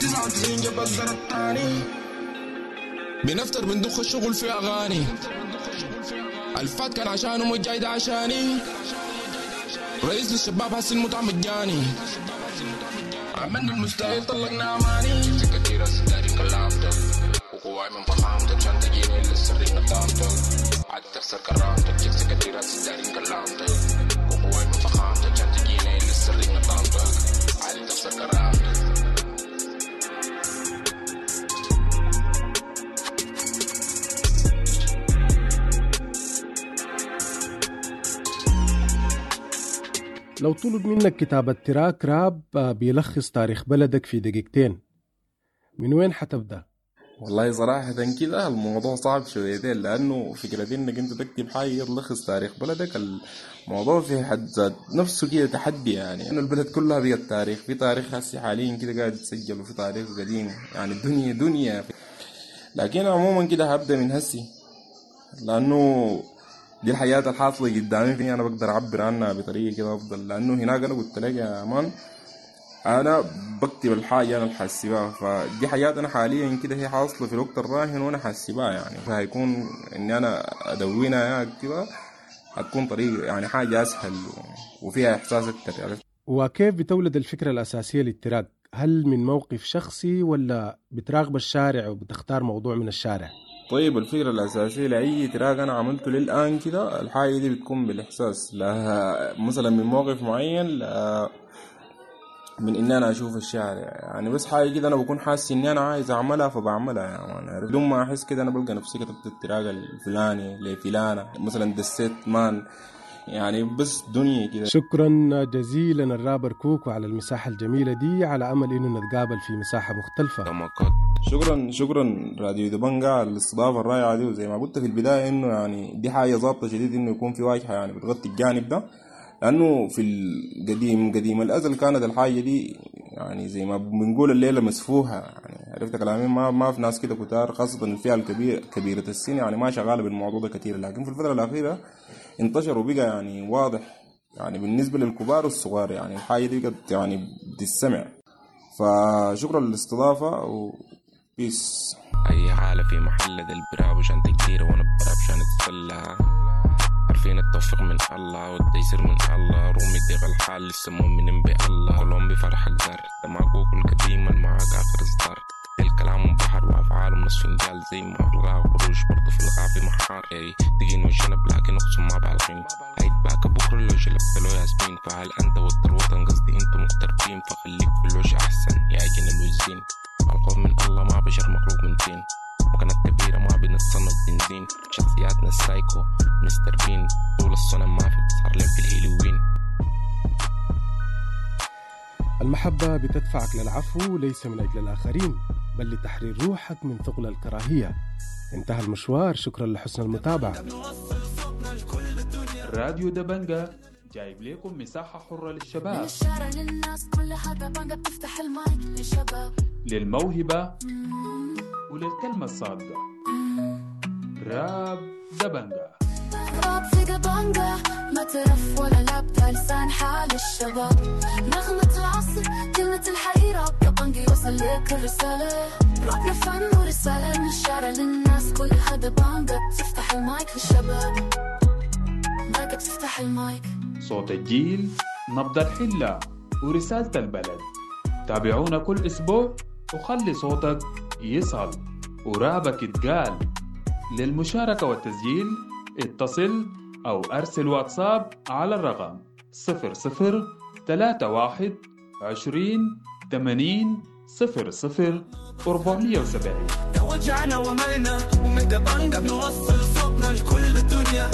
99 جبل زرط تاني، بنفتر بندخ الشغل في أغاني، الفات كان عشانهم والجاي ده عشاني، رئيس للشباب حس المتعة مجاني، عملنا المستحيل طلقنا أماني، كتيرة ستاري كلامتك وقواي من فخامتك، عشان تجيني للسري نظامتك، عاد تخسر كرامتك، جبت كتيرة ستاري كلامتك وقواي من فخامتك، عشان تجيني للسري نظامتك، عاد تخسر كرامتك. لو طلب منك كتابة track rap بيلخص تاريخ بلدك في دقيقتين، من وين حتبدأ؟ والله صراحة كده الموضوع صعب شويتين، لأنه فكرة إنك أنت تكتب حاجة تلخص تاريخ بلدك الموضوع في حد ذات نفسه كده تحدي يعني، إنه البلد كلها بقت تاريخ، في تاريخ هسي حاليا كده قاعد يتسجل وفي تاريخ قديم يعني، الدنيا دنيا. لكن عموما كده هبدأ من هسي، لأنه دي الحياة الحاصلة قدامي فيني أنا بقدر أعبر عنها بطريقة كده أفضل، لأنه هناك أنا قلت لك يا مان أنا بكتب الحاجة أنا اللي حاسبها، فدي حاجات أنا حاليا كده هي حاصلة في الوقت الراهن وأنا حاسبها يعني، فهيكون إني أنا أدونها يا أكتبها هتكون طريقة يعني حاجة أسهل وفيها إحساس أكتر يعني. وكيف بتولد الفكرة الأساسية لل track؟ هل من موقف شخصي ولا بتراقب الشارع وبتختار موضوع من الشارع؟ طيب الفكرة الأساسية لأي track أنا عملته للآن كده الحاجة دي بتكون بالإحساس، لا مثلا من موقف معين، لا من إن أنا أشوف الشارع يعني، بس حاجة كده أنا بكون حاسس إني أنا عايز أعملها فبعملها يعني، بدون ما أحس كده أنا بلقى نفسي كتبت ال track الفلاني لفلانة مثلا، دسيت man يعني بس دنيا كده. شكرا جزيلا الرابر كوكو على المساحة الجميلة دي، على أمل إنه نتقابل في مساحة مختلفة. شكرا شكرا راديو دبنجا على الاستضافة الرائعة دي، وزي ما قلت في البداية إنه يعني دي حاجة ظابطة شديد إنه يكون في واجهة يعني بتغطي الجانب ده، لأنه في القديم قديم الأزل كانت الحاجة دي يعني زي ما بنقول الليلة مسفوحة، يعني عرفت كلامي، ما في ناس كده كتار، خاصة الفئة الكبيرة كبيرة السن يعني ما شغالة بالموضوع ده كتير، لكن في الفترة الأخيرة انتشر وبقى يعني واضح يعني بالنسبة للكبار والصغار، يعني الحاجة دي بقت يعني بتسمع. فشكرا للاستضافة و peace. أي حالة في محل ده البراب وشان تكتير وأنا براب شان أتسلى، عارفين التوفيق من الله والتيسير من الله، رومي ضيق الحال لسه مؤمنين بالله، كلهم بفرحك زار ده معك القديم معاك آخر إصدار، الكلام بحر وأفعالهم نص فنجال، زي ما في الغاء قروش برضو في الغاء في محار، دقين والشنب لكن أقسم ما بعلقين، هيتباك بكرة لو شلبت له ياسمين، فهل أنت ود الوطن قصدي أنتم مغتربين، فخليك في الوش أحسن يا جن الوزين، الخوف من الله ما بشر مخلوق من طين، مكانات كبيرة ما بنتصنف بنزين، شخصياتنا السايكو مستر بين، طول السنة ما في بتصهر لين في الهيلوين. المحبة بتدفعك للعفو ليس من أجل الآخرين بل لتحرير روحك من ثقل الكراهية. انتهى المشوار، شكرا لحسن المتابعة. راديو دبنجا جايب لكم مساحة حرة للشباب، من الشارع للناس كلها دبنجا بتفتح المايك للشباب، للموهبة وللكلمة الصادقة. راب دبنجا، راب في دبنجا، ما ترف ولا لابتة، لسان حال الشباب، نغمة العصر كلمة الحقيقة، راب دبنجا يوصل لك الرسالة، رابنا فن ورسالة، من الشارع للناس كلها دبنجا بتفتح المايك للشباب، مايك بتفتح المايك. صوت الجيل، نبض الحلة، ورسالة البلد. تابعونا كل أسبوع وخلي صوتك يصل ورابك يتقال. للمشاركة والتسجيل اتصل أو أرسل واتساب على الرقم 00 31 20 80 00 470. توجعنا وملنا ومن دبنجا بنوصل صوتنا لكل الدنيا،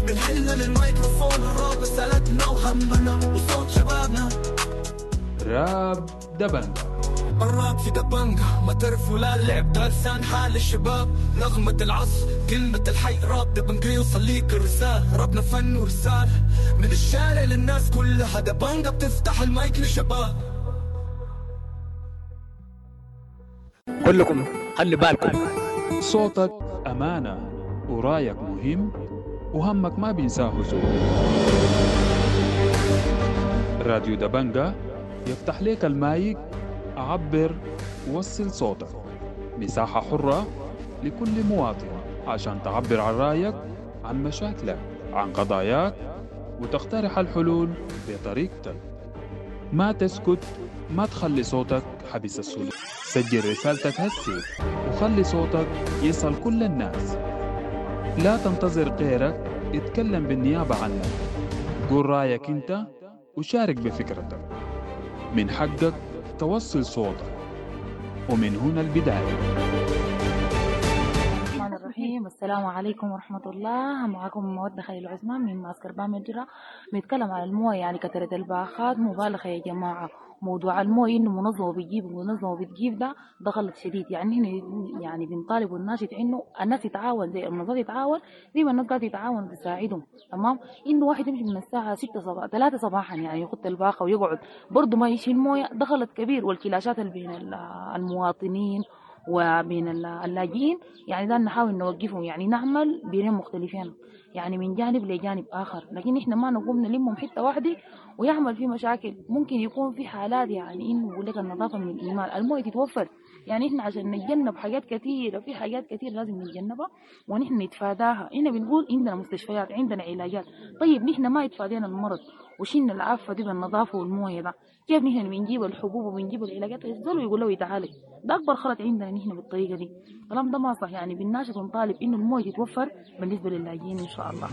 من حلنا للميكروفون الراب رسالتنا وهمنا وصوت شبابنا. راب دبنجا، الراب في دبنجا ما ترف ولا لعب، ده لسان حال الشباب، نغمة العصر كلمة الحي، راب دبنجا يوصل ليك الرسالة، رابنا فن ورسالة من الشارع للناس كلها، دبنجا بتفتح المايك للشباب. كلكم خلي بالكم، صوتك أمانة ورايك مهم وهمك ما بينساه زول. راديو دبنجا يفتح لك المايك، عبر، وصل صوتك، مساحة حرة لكل مواطن عشان تعبر عن رأيك، عن مشاكلك، عن قضاياك، وتقترح الحلول بطريقتك. ما تسكت، ما تخلي صوتك حبيس السلوك. سجل رسالتك هسي وخلي صوتك يصل كل الناس. لا تنتظر غيرك يتكلم بالنيابة عنك، قول رأيك انت وشارك بفكرتك. من حقك توصل صوتك، ومن هنا البداية. الرحمن الرحيم، السلام عليكم ورحمة الله. معكم مودة خليل عثمان من معسكر بامجرة. بنتكلم على الموية، يعني كثرة الباخات مبالغة يا جماعة. موضوع الموية إنه منظمة بتجيب ومنظمة بتجيب ده غلط شديد. يعني هنا يعني بنطالب والناشد إنه الناس تتعاون، زي المنظمات تتعاون، زي ما الناس قاعدة تتعاون تساعدهم، تمام؟ إنه واحد يمشي من الساعة 6 صباح 3 صباحا يعني يخط الباخة ويقعد برضه ما يشيل موية، ده غلط كبير. والكلاشات اللي بين المواطنين وبين اللاجئين يعني ده نحاول نوقفهم، يعني نعمل بينهم مختلفين، يعني من جانب لجانب آخر، لكن إحنا ما نقوم نلمهم حتة واحدة ويعمل في مشاكل. ممكن يكون في حالات يعني إنه بقول لك النظافة من الإيمان، الموية تتوفر، يعني إحنا عشان نتجنب حاجات كثيرة، في حاجات كثيرة لازم نتجنبها ونحن نتفاداها. إحنا بنقول عندنا مستشفيات، عندنا علاجات، طيب نحن ما يتفادينا المرض وشلنا العافة دي بالنظافة والموية ده، كيف نحن بنجيب الحبوب وبنجيب العلاجات الزول ويقول له يتعالج؟ ده أكبر خلط عندنا نحن بالطريقة دي. الكلام ده ما صح، يعني بنناشد ونطالب إنه الموية تتوفر بالنسبة للاجئين إن شاء الله.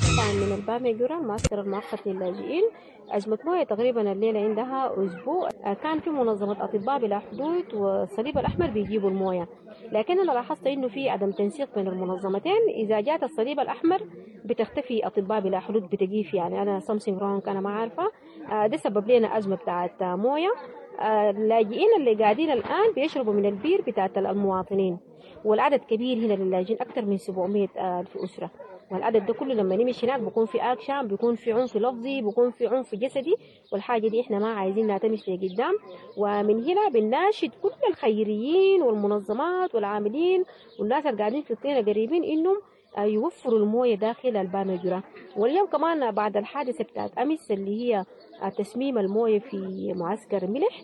طبعا من الباميجورا المعسكر المؤقت للاجئين. أزمة موية تقريبا الليلة عندها أسبوع. كان في منظمة أطباء بلا حدود والصليب الأحمر بيجيبوا الموية، لكن أنا لاحظت إنه في عدم تنسيق بين المنظمتين. إذا جات الصليب الأحمر بتختفي أطباء بلا حدود بتجيف، يعني أنا something wrong أنا ما عارفة. ده سبب لنا أزمة بتاعت موية. اللاجئين اللي قاعدين الآن بيشربوا من البير بتاعت المواطنين، والعدد كبير هنا للاجئين أكثر من 700 ألف أسرة. والعدد ده كله لما نمشي هناك بيكون في اكشن، بيكون في عنف لفظي، بيكون في عنف جسدي، والحاجة دي احنا ما عايزينها تمشي لقدام. ومن هنا بنناشد كل الخيريين والمنظمات والعاملين والناس اللي قاعدين في الطينه قريبين انهم يوفروا المويه داخل البامجرة. واليوم كمان بعد الحادثة بتاعت امس اللي هي تسميم المويه في معسكر ملح،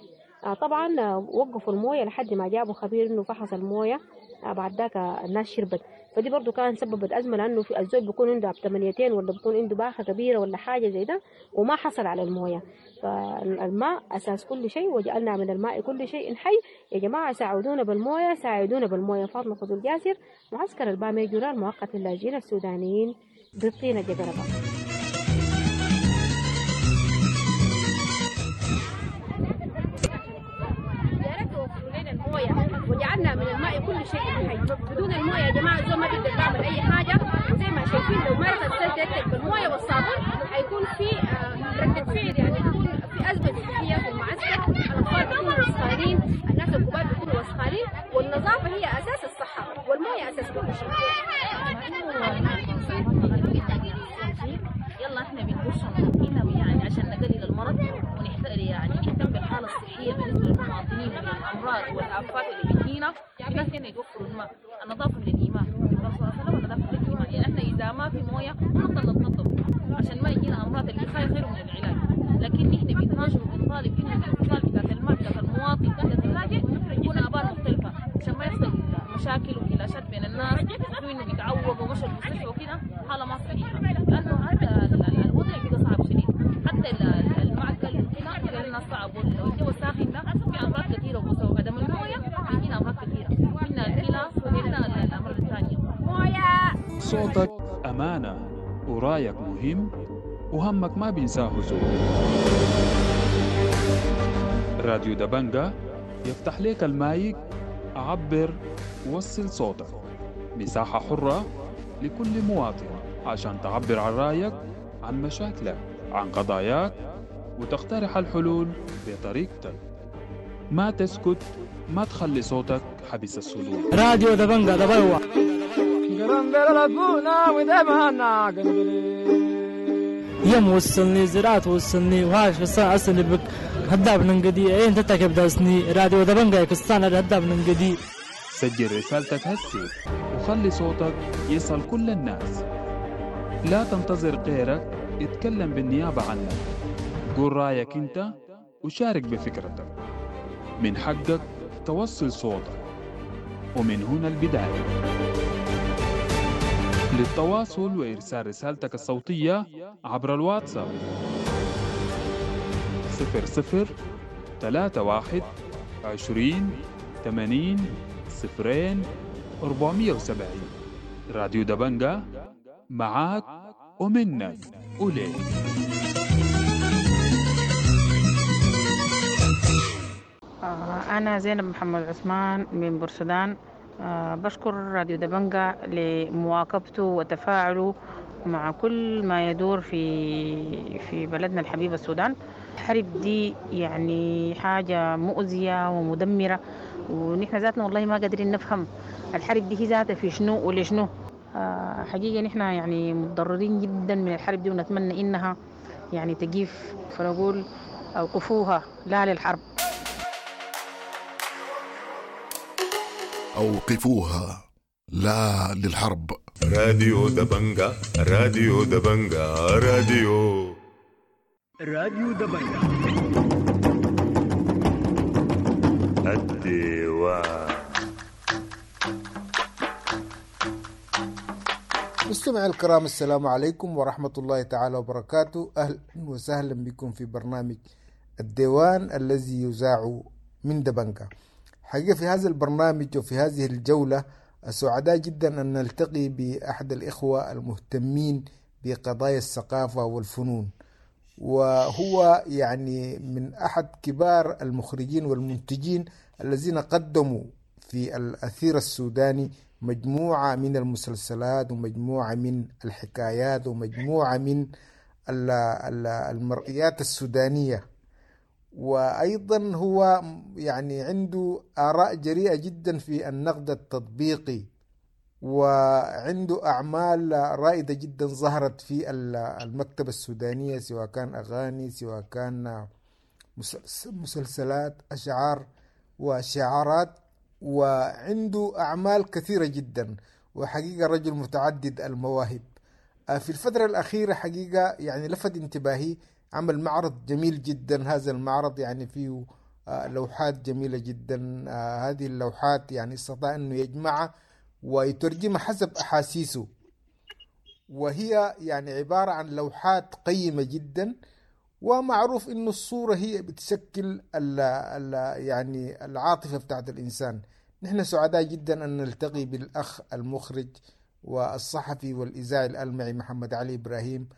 طبعا وقفوا المويه لحد ما جابوا خبير انه فحص المويه، بعد ذاك الناس شربت. فدي برضو كان سببت أزمة، لأنه في الزول بيكون عنده بثمانيتين ولا بيكون عنده باخة كبيرة ولا حاجة زي ده وما حصل على الموية. فالماء أساس كل شيء، وجعلنا من الماء كل شيء حي. يا جماعة ساعدونا بالموية، ساعدونا بالموية. فاطمة فضل جاسر، معسكر الباميجورا المؤقت للاجئين السودانيين بالطينة جقربة. وجعلنا من الماء كل شيء حي. بدون المويه يا جماعة الزول ما بيقدر يعمل اي حاجة. وزي ما شايفين لو ما غسلت يدك بالمويه والصابون حيكون في ردة فعل، يعني يكون في ازمة صحية في المعسكر. الاطفال بيكونوا وسخانين، الناس الكبار بيكونوا وسخانين، والنظافة هي اساس الصحة والمويه اساس كل شيء. يلا احنا بنخش هنا يعني عشان نقلل المرض ونحتاج يعني نهتم بالحالة الصحية بالنسبة للمواطنين من الامراض والافات اللي بتجينا. الناس هنا يوفروا الماء، النظافة من الايمان، الرسول صلى الله عليه وسلم النظافة من الايمان. يعني احنا اذا ما في مويه نفضل نتنظف عشان ما يجينا امراض. الوقاية خير من العلاج. لكن نحن بنناشد وبنطالب انه الاتصال بتاعت الماء بتاعت المواطن بتاعت اللاجئ يكون ابار مختلفة عشان ما يحصل مشاكل وكلاشات بين الناس، وانه بيتعوقوا ومشوا المستشفى وكده. حاله ما صحيحه، لانه حتى الوضع بقى صعب شديد. حتى المعقل وكده بقى لنا صعب، والجو الساخن ده في امراض كثيرة، وبسبب عدم المويه بيجينا امراض كثيرة، منها الكلى ومنها الامراض الثانية. مويه. صوتك امانه ورايك مهم وهمك ما بينساه زول. راديو دبنجة يفتح لك المايك، عبر، وصل صوتك. مساحة حرة لكل مواطن عشان تعبر عن رأيك، عن مشاكلك، عن قضاياك، وتقترح الحلول بطريقتك. ما تسكت، ما تخلي صوتك حبس الصدور. راديو دبنجة دبلوة. يم وصلني زراعة وصلني وهاش بس أصلي بك هداب ننقدي أين تتكب داسني راديو دبنجة كستانا هداب ننقدي. سجل رسالتك هسي وخلي صوتك يصل كل الناس. لا تنتظر غيرك يتكلم بالنيابة عنك. قول رأيك انت وشارك بفكرتك. من حقك توصل صوتك، ومن هنا البداية. للتواصل وإرسال رسالتك الصوتية عبر الواتساب 00 31 20 80 0 470. راديو دبنجة معاك ومنك وليك. أنا زينب محمد عثمان من بورسودان. بشكر راديو دبنجة لمواكبته وتفاعله مع كل ما يدور في بلدنا الحبيب السودان. الحرب دي يعني حاجة مؤذية ومدمرة، ونحن ذاتنا والله ما قادرين نفهم الحرب دي هي ذاتها في شنو ولشنو. حقيقة نحن يعني متضررين جدا من الحرب دي، ونتمنى إنها يعني تقيف، فنقول أوقفوها، لا للحرب. أوقفوها، لا للحرب. راديو دبنجة، راديو دبنجة، راديو دبنجة. الديوان. مستمعي الكرام، السلام عليكم ورحمة الله تعالى وبركاته. أهلا وسهلا بكم في برنامج الديوان الذي يذاع من دبنجة. حقيقة في هذا البرنامج وفي هذه الجولة سعداء جدا أن نلتقي بأحد الإخوة المهتمين بقضايا الثقافة والفنون، وهو يعني من أحد كبار المخرجين والمنتجين الذين قدموا في الأثير السوداني مجموعة من المسلسلات ومجموعة من الحكايات ومجموعة من المرئيات السودانية. وأيضا هو يعني عنده آراء جريئة جدا في النقد التطبيقي، وعنده أعمال رائدة جدا ظهرت في المكتبة السودانية، سواء كان أغاني، سواء كان مسلسلات، أشعار وشعارات، وعنده أعمال كثيرة جدا، وحقيقة رجل متعدد المواهب. في الفترة الأخيرة حقيقة يعني لفت انتباهي عمل معرض جميل جدا. هذا المعرض يعني فيه لوحات جميلة جدا. هذه اللوحات يعني استطاع أنه يجمعها ويترجمها حسب أحاسيسه، وهي يعني عبارة عن لوحات قيمة جدا. ومعروف أنه الصورة هي بتشكل ال ال يعني العاطفة بتاعت الإنسان. نحن سعداء جدا أن نلتقي بالأخ المخرج والصحفي والإذاعي الألمعي محمد علي إبراهيم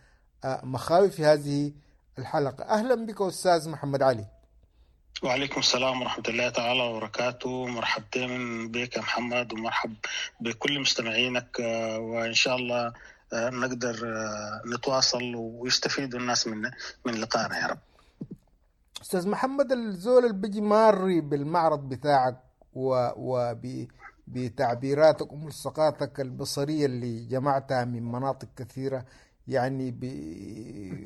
مخاوي في هذه الحلقة. أهلا بك أستاذ محمد علي. وعليكم السلام ورحمة الله تعالى وبركاته. مرحبتين بك يا محمد، ومرحب بكل مستمعينك، وإن شاء الله نقدر نتواصل ويستفيدوا الناس من لقائنا يا رب. أستاذ محمد، الزول اللي بيجي ماري بالمعرض بتاعك بتعبيراتك وملصقاتك البصرية اللي جمعتها من مناطق كثيرة، يعني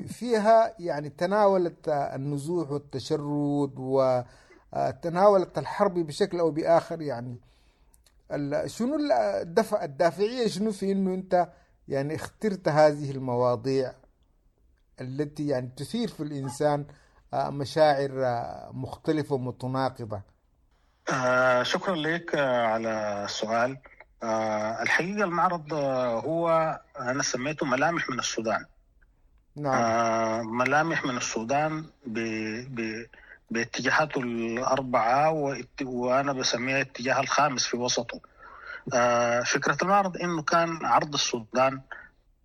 فيها يعني تناولت النزوح والتشرد وتناولت الحرب بشكل أو بآخر، يعني شنو الدافعية شنو في إنه أنت يعني اخترت هذه المواضيع التي يعني تثير في الإنسان مشاعر مختلفة ومتناقضة؟ شكرا لك على السؤال. الحقيقة المعرض هو أنا سميته ملامح من السودان. نعم. ملامح من السودان باتجاهاته الأربعة، وأنا بسميها الاتجاه الخامس في وسطه. فكرة المعرض إنه كان عرض السودان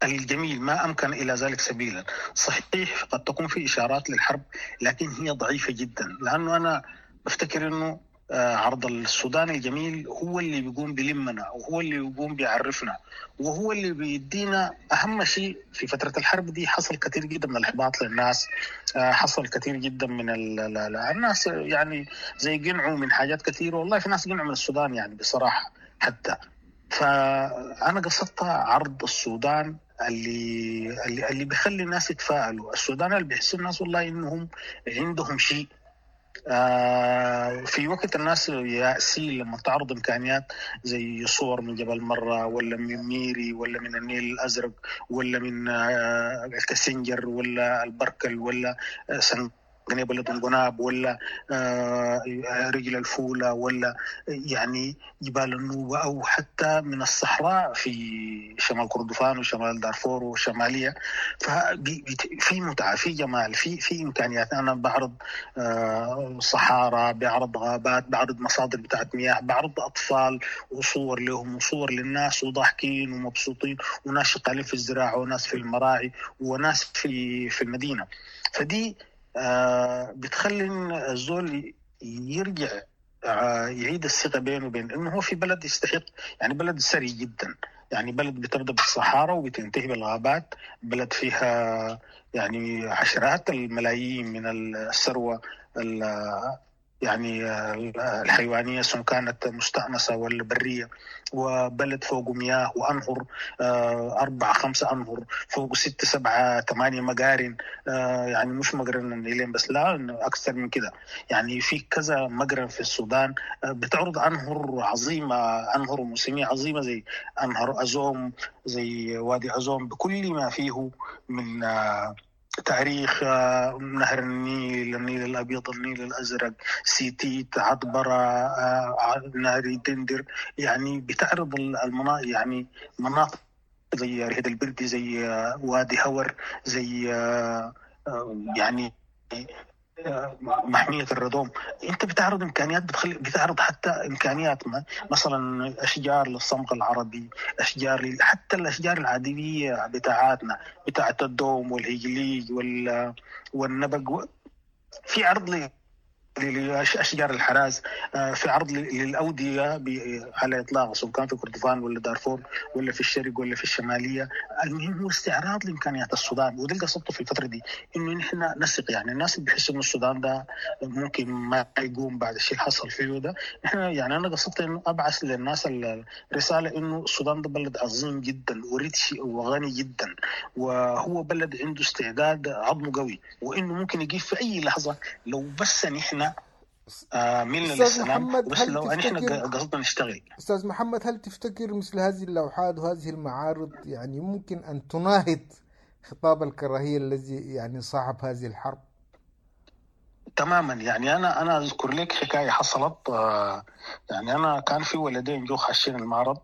الجميل ما أمكن إلى ذلك سبيلا. صحيح قد تكون في إشارات للحرب، لكن هي ضعيفة جدا، لأنه أنا بفتكر إنه عرض السودان الجميل هو اللي بيقوم بلمنا، وهو اللي بيقوم بيعرفنا، وهو اللي بيدينا أهم شيء. في فترة الحرب دي حصل كثير جدا من الإحباط للناس، حصل كثير جدا من الناس يعني زي قنعوا من حاجات كثيرة. والله في ناس قنعوا من السودان يعني بصراحة حتى. فأنا قصدت عرض السودان اللي بيخلي الناس يتفائلوا، السودان اللي بيحس الناس والله إنهم عندهم شيء. في وقت الناس يأسين لما تعرض إمكانيات زي صور من جبل مرة، ولا من ميري، ولا من النيل الأزرق، ولا من الكاسنجر، ولا البركل، ولا سنغنيب الدنقناب، ولا رجل الفولة، ولا يعني جبال النوبة، أو حتى من الصحراء في شمال كردفان وشمال دارفور وشمالية. ففي متعة، في جمال، في إمكانيات. أنا بعرض صحارى، بعرض غابات، بعرض مصادر بتاعت مياه، بعرض أطفال وصور لهم وصور للناس وضاحكين ومبسوطين، وناس شغالين في الزراعة، وناس في المراعي، وناس في المدينة. فدي بتخلي الزول يرجع يعيد الثقة بينه وبين إنه هو في بلد يستحق، يعني بلد ثري جدا، يعني بلد بتبدأ بالصحارى وبتنتهي بالغابات، بلد فيها يعني عشرات الملايين من الثروة يعني الحيوانية سواء كانت مستأنسة ولا برية، وبلد فوقه مياه وأنهر، 4 5 أنهر، فوقه 6 7 8 مقارن، يعني مش مقرن النيلين بس، لا أكثر من كده، يعني في كذا مقرن في السودان بتعرض أنهر عظيمة، أنهر موسمية عظيمة زي أنهر أزوم، زي وادي أزوم بكل ما فيه من تاريخ، نهر النيل، النيل الأبيض، النيل الأزرق، سيتيت، عطبرة، نهر دندر. يعني بتعرض المناطق، يعني مناطق زي رهد البردي، زي وادي هور، زي يعني محمية الردوم. انت بتعرض امكانيات، بتعرض حتى امكانيات مثلا اشجار للصمغ العربي، اشجار حتى الاشجار العادية بتاعتنا بتاعت الدوم والهجليج والنبق. في عرض لأشجار الحراز، في عرض للأودية على إطلاق، سواء كان في كردفان ولا دارفور ولا في الشرق ولا في الشمالية. المهم هو استعراض لإمكانيات السودان، وده اللي قصدته في الفترة دي، إنه نحن نثق. يعني الناس اللي بيحسوا إنه السودان ده ممكن ما يقوم بعد الشيء اللي حصل فيه ده، نحن يعني أنا قصدت إنه أبعث للناس الرسالة إنه السودان ده بلد عظيم جدا وريتش وغني جدا، وهو بلد عنده استعداد عظمه قوي، وإنه ممكن يجيب في أي لحظة لو بس نحن ملنا للسلام، بس لو نحن قصدنا نشتغل. أستاذ محمد، هل تفتكر مثل هذه اللوحات وهذه المعارض يعني ممكن أن تناهض خطاب الكراهية الذي يعني صاحب هذه الحرب؟ تماما. يعني أنا أذكر لك حكاية حصلت. يعني أنا كان في ولدين جو خاشين المعرض،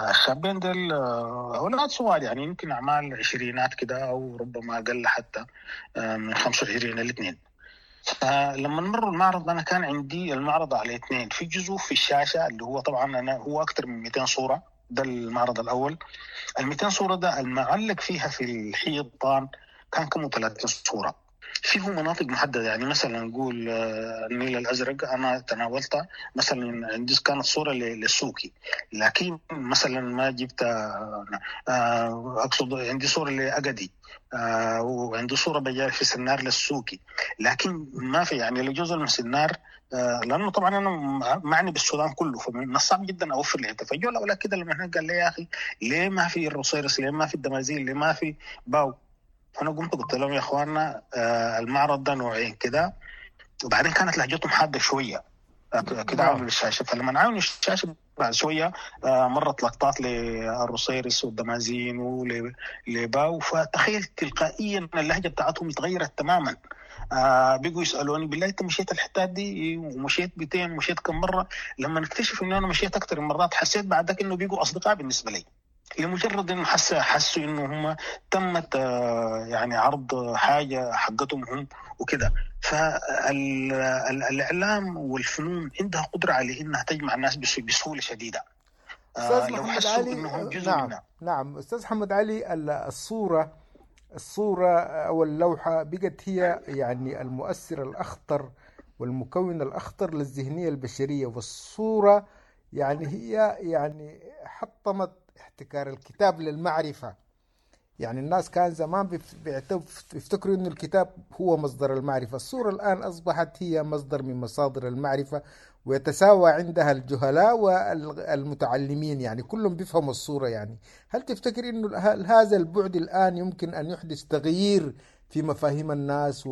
الشابين دول أولاد صغار، يعني يمكن أعمال عشرينات كده أو ربما أقل حتى، من 25 الاثنين. فلما نمر المعرض، أنا كان عندي المعرض على اثنين، في جزء في الشاشة اللي هو طبعا أنا هو أكثر من 200 صورة، ده المعرض الأول. ال 200 صورة ده المعلق فيها في الحيطان كان كم 30 صورة، فيه مناطق محددة. يعني مثلا نقول النيل الأزرق أنا تناولتها، مثلا عندي كانت صورة للسوكي، لكن مثلا ما جبت، أقصد عندي صورة لأجدي، وعندي صورة بجاري في سنار للسوكي، لكن ما في يعني لجزء من سنار، لأنه طبعا أنا معني بالسودان كله، فمن الصعب جدا أوفر لي. فجوا الأولاد كده لما هناك قال لي يا أخي ليه ما في الروصيرس، ليه ما في الدمازين، ليه ما في باو؟ فأنا قمت قلت لهم يا أخواننا المعرض ده نوعين كده. وبعدين كانت لهجتهم حادة شوية كده عاملوا الشاشة، فلما عاونوا الشاشة بعد شوية مرت لقطات للروصيرس والدمازين ولباو، فتخيل تلقائيا اللهجة بتاعتهم اتغيرت تماما. بيجوا يسألوني بالله أنت مشيت الحتات دي ومشيت بتين ومشيت كم مرة؟ لما نكتشف إنه أنا مشيت أكثر من مرات، حسيت بعد ذاك إنه بيجوا أصدقاء بالنسبة لي، لمجرد انه حسوا انه هم تمت يعني عرض حاجة حقتهم هم وكده. فالاعلام والفنون عندها قدره على انها تجمع الناس بسهولة شديدة. أستاذ محمد علي، نعم منها. نعم استاذ محمد علي، الصورة او اللوحة بقت هي يعني المؤثر الاخطر والمكون الاخطر للذهنيه البشرية، والصورة يعني هي يعني حطمت احتكار الكتاب للمعرفة. يعني الناس كان زمان بيفتكروا إنه الكتاب هو مصدر المعرفة، الصورة الآن أصبحت هي مصدر من مصادر المعرفة، ويتساوى عندها الجهلاء والمتعلمين، يعني كلهم بيفهموا الصورة. يعني هل تفتكر إنه هذا البعد الآن يمكن أن يحدث تغيير في مفاهيم الناس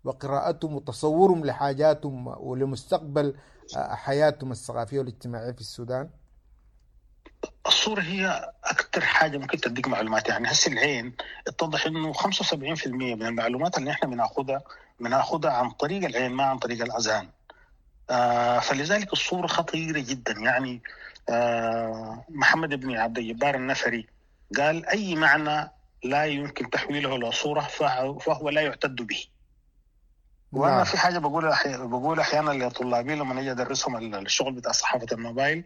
وقراءتهم وتصورهم لحاجاتهم ولمستقبل حياتهم الثقافية والاجتماعية في السودان؟ الصورة هي أكثر حاجة ممكن تديك معلومات. يعني هسه العين اتضح إنه 75% من المعلومات اللي إحنا بناخدها عن طريق العين ما عن طريق الأذهان. فلذلك الصورة خطيرة جدا. يعني محمد بن عبد الجبار النفري قال أي معنى لا يمكن تحويله إلى صورة فهو لا يعتد به. وأنا في حاجة بقول أحيانا لطلابي لما نجي أدرسهم الشغل بتاع صحافة الموبايل،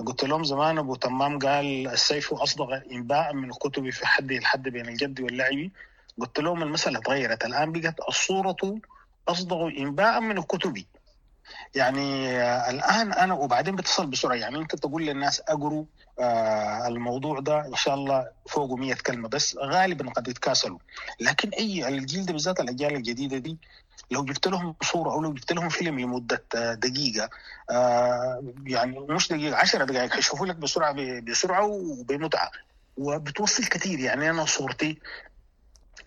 قلت لهم زمان أبو تمام قال السيف أصدق إنباء من الكتب في حده الحد بين الجد واللعب. قلت لهم المسألة تغيرت الآن، بقت الصورة أصدق إنباء من الكتب. يعني الآن أنا وبعدين بتصل بسرعة، يعني أنت تقول للناس أقروا الموضوع ده إن شاء الله فوقه 100 كلمة بس، غالبا قد يتكاسلوا. لكن أي الجيل ده بالذات الأجيال الجديدة دي لو جبت لهم صورة أو لو جبت لهم فيلم لمدة دقيقة، يعني مش دقيقة، 10 دقائق، حيشوفوا لك بسرعة بسرعة وبمتعة وبتوصل كثير. يعني أنا صورتي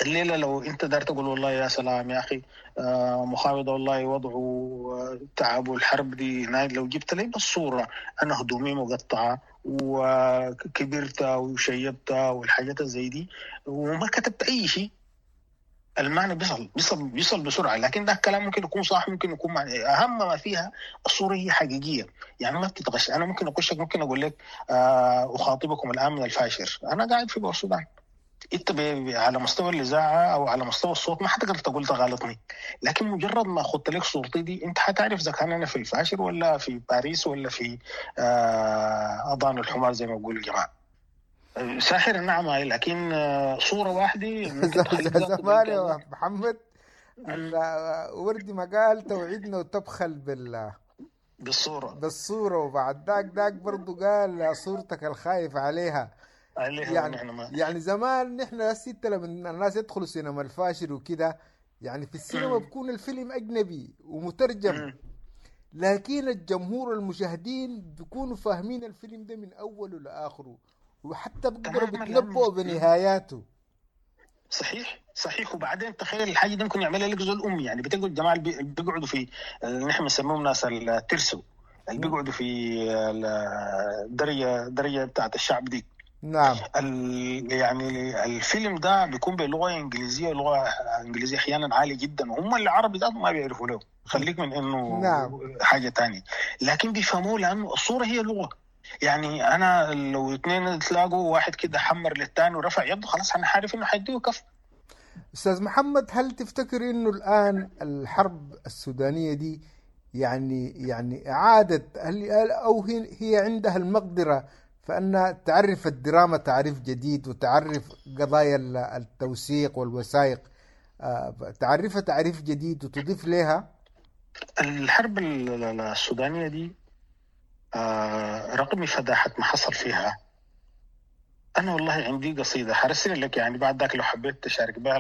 الليلة لو أنت دار تقول والله يا سلام يا أخي مخاوضة والله وضعه تعب والحرب دي، لو جبت لي بالصورة أنا هدومي مقطعة وكبرت وشيبت والحاجات زي دي وما كتبت أي شيء، المعنى بيصل بسرعة. لكن ده الكلام ممكن يكون صح، ممكن يكون معنى. أهم ما فيها الصورة هي حقيقية، يعني ما بتتغش. أنا ممكن أقشك، ممكن أقول لك أخاطبكم الآن من الفاشر، أنا قاعد في بورسودان، انت على مستوى الاذاعة او على مستوى الصوت ما حتقدر تقول تغالطني، لكن مجرد ما اخذت لك صورتي دي انت حتعرف اذا كان انا في الفاشر ولا في باريس ولا في اذان الحمار زي ما بيقول الجماعة. ساحر نعم، لكن صوره واحدة ممكن تخليك ذاته زمان يا محمد، وردي ما قال توعدنا وتبخل بالصورة بالصورة، وبعد ذاك برضو قال صورتك الخايف عليها يعني نحن ما يعني زمان نحن الستة لما الناس يدخلوا سينما الفاشر وكده، يعني في السينما بيكون الفيلم أجنبي ومترجم، لكن الجمهور المشاهدين بيكونوا فاهمين الفيلم ده من أوله لآخره، وحتى بيقدروا بيتنبؤوا بنهاياته. صحيح صحيح. وبعدين تخيل الحاجة دي ممكن يعملها لك زول امي، يعني بتلقوا الجماعة اللي بيقعدوا في اللي نحن بنسميهم ناس الترسو، اللي بيقعدوا في الدرجة بتاعت الشعب دي. نعم. يعني الفيلم ده بيكون بلغه انجليزية، لغة انجليزية احيانا عالية جدا، وهم العربي ده ما بيعرفوا له، خليك من انه نعم. حاجة تانية، لكن بيفهموه لانه الصورة هي لغة. يعني انا لو اثنين تلاقوا واحد كده حمر للثاني ورفع يده، خلاص انا عارف انه حيديه كف. استاذ محمد، هل تفتكر انه الان الحرب السودانية دي يعني اعاده، هل او هي عندها المقدرة فانها تعرف الدراما تعريف جديد، وتعرف قضايا التوثيق والوثائق، تعرفها تعريف جديد وتضيف لها؟ الحرب السودانية دي رغم فداحة ما حصل فيها، أنا والله عندي قصيدة حرسل لك يعني بعد ذاك لو حبيت تشارك بها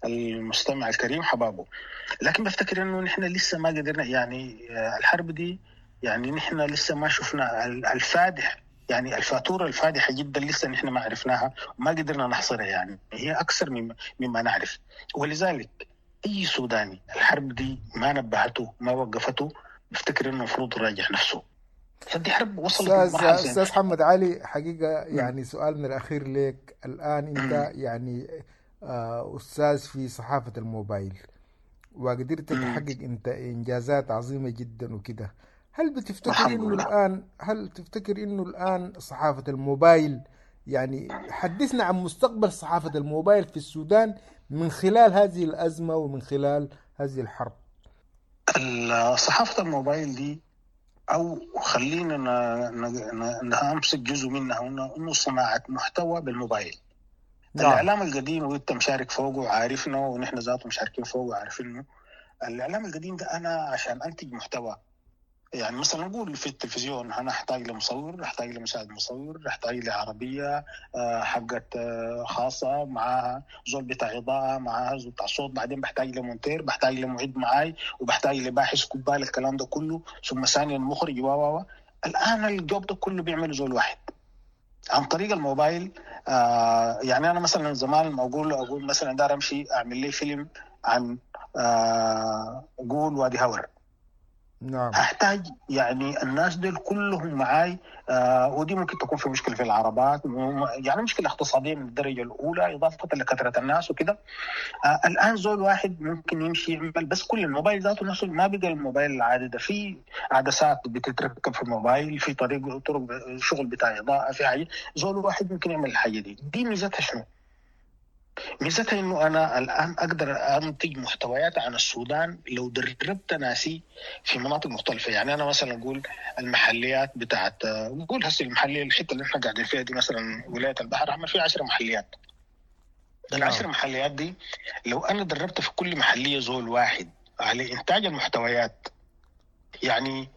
المستمع الكريم حبابة، لكن بفتكر إنه نحن لسه ما قدرنا، يعني الحرب دي يعني نحن لسه ما شفنا الفادح، يعني الفاتورة الفادحة جدا لسه نحن ما عرفناها وما قدرنا نحصرها، يعني هي أكثر مما نعرف. ولذلك أي سوداني الحرب دي ما نبهته ما وقفته، بفتكر إنه المفروض يراجع نفسه. فدي حرب وصلت لمرحلة. أستاذ محمد علي، حقيقة يعني سؤالنا الأخير لك الآن، أنت يعني أستاذ في صحافة الموبايل وقدرت تحقق أنت إنجازات عظيمة جدا وكده، هل بتفتكر إنه الآن، هل تفتكر إنه الآن صحافة الموبايل، يعني حدثنا عن مستقبل صحافة الموبايل في السودان من خلال هذه الأزمة ومن خلال هذه الحرب؟ صحافة الموبايل دي، أو خلينا نمسك جزء منها، إنه صناعة محتوى بالموبايل. نعم. الإعلام القديم وأنت مشارك فوقه وعارفنه، ونحن ذاته مشاركين فوقه وعارفينه. الإعلام القديم ده أنا عشان أنتج محتوى، يعني مثلا نقول في التلفزيون أنا أحتاج لمصور، أحتاج لمساعد مصور، أحتاج لعربية حقت خاصة معها زول بتاع إضاءة، معها زول بتاع صوت، بعدين بحتاج لمونتير، بحتاج لمعد معاي، وبحتاج لباحث كبال، الكلام ده كله، ثم ثانيا مخرج و الآن الجوب ده كله بيعمله زول واحد عن طريق الموبايل. يعني أنا مثلا زمان ما أقول مثلا دار أمشي أعمل لي فيلم عن قول وادي هور، نعم، هحتاج يعني الناس دول كلهم معاي، ودي ممكن تكون في مشكلة في العربات، يعني مشكلة اقتصادية من الدرجة الأولى إضافة لكثرة الناس وكده. الآن زول واحد ممكن يمشي يعمل بس كل الموبايل ذاته نفسه، ما بقى الموبايل العادي ده، في عدسات بتتركب في الموبايل، في طرق شغل بتاع إضاءة، في حاجة، زول واحد ممكن يعمل الحاجة دي. دي ميزتها شنو؟ ميزتها انه انا الان اقدر انتج محتويات عن السودان لو دربت ناسي في مناطق مختلفة. يعني انا مثلا اقول المحليات بتاعت، نقول هسه المحلية، الحتة اللي احنا قاعدين فيها دي مثلا ولاية البحر الاحمر فيها 10 محليات. العشر محليات دي لو انا دربت في كل محليه زول واحد على انتاج المحتويات، يعني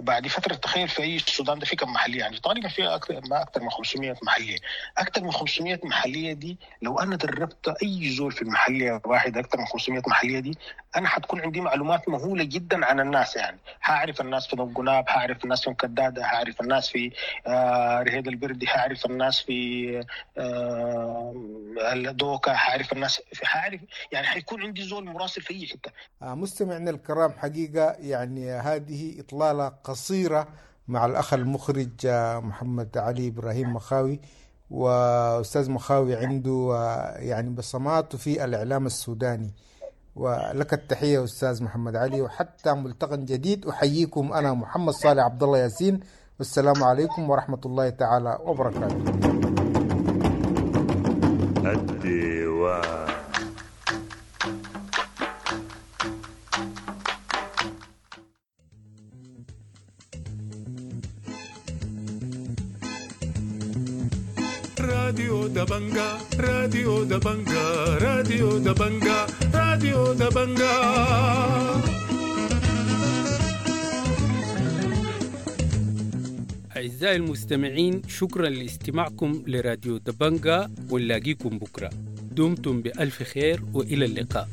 بعد فترة تخيل في أي السودان ده في كم محلية، يعني تقريبا فيها أكثر من 500 محلية. أكثر من 500 محلية دي لو أنا دربت أي زول في المحلية واحد أكثر من 500 محلية دي، أنا حتكون عندي معلومات مهولة جدا عن الناس. يعني هعرف الناس في دنقناب، هعرف الناس في مكدادة، هعرف الناس في رهيد البردي، هعرف الناس في الدوكا، هعرف الناس في، هعرف يعني حيكون عندي زول مراسل في أي حتة. مستمعنا الكرام، حقيقة يعني هذه إطلالة قصيرة مع الأخ المخرج محمد علي إبراهيم مخاوي. وأستاذ مخاوي عنده يعني بصماته في الإعلام السوداني، ولك التحية أستاذ محمد علي، وحتى ملتقى جديد أحييكم أنا محمد صالح عبد الله ياسين، والسلام عليكم ورحمة الله تعالى وبركاته. الديوان. راديو دبنجا، راديو دبنجا، راديو دبنجا، راديو دبنجا. أعزائي المستمعين، شكرا لاستماعكم لراديو دبنجا، ونلاقيكم بكرة. دمتم بألف خير وإلى اللقاء.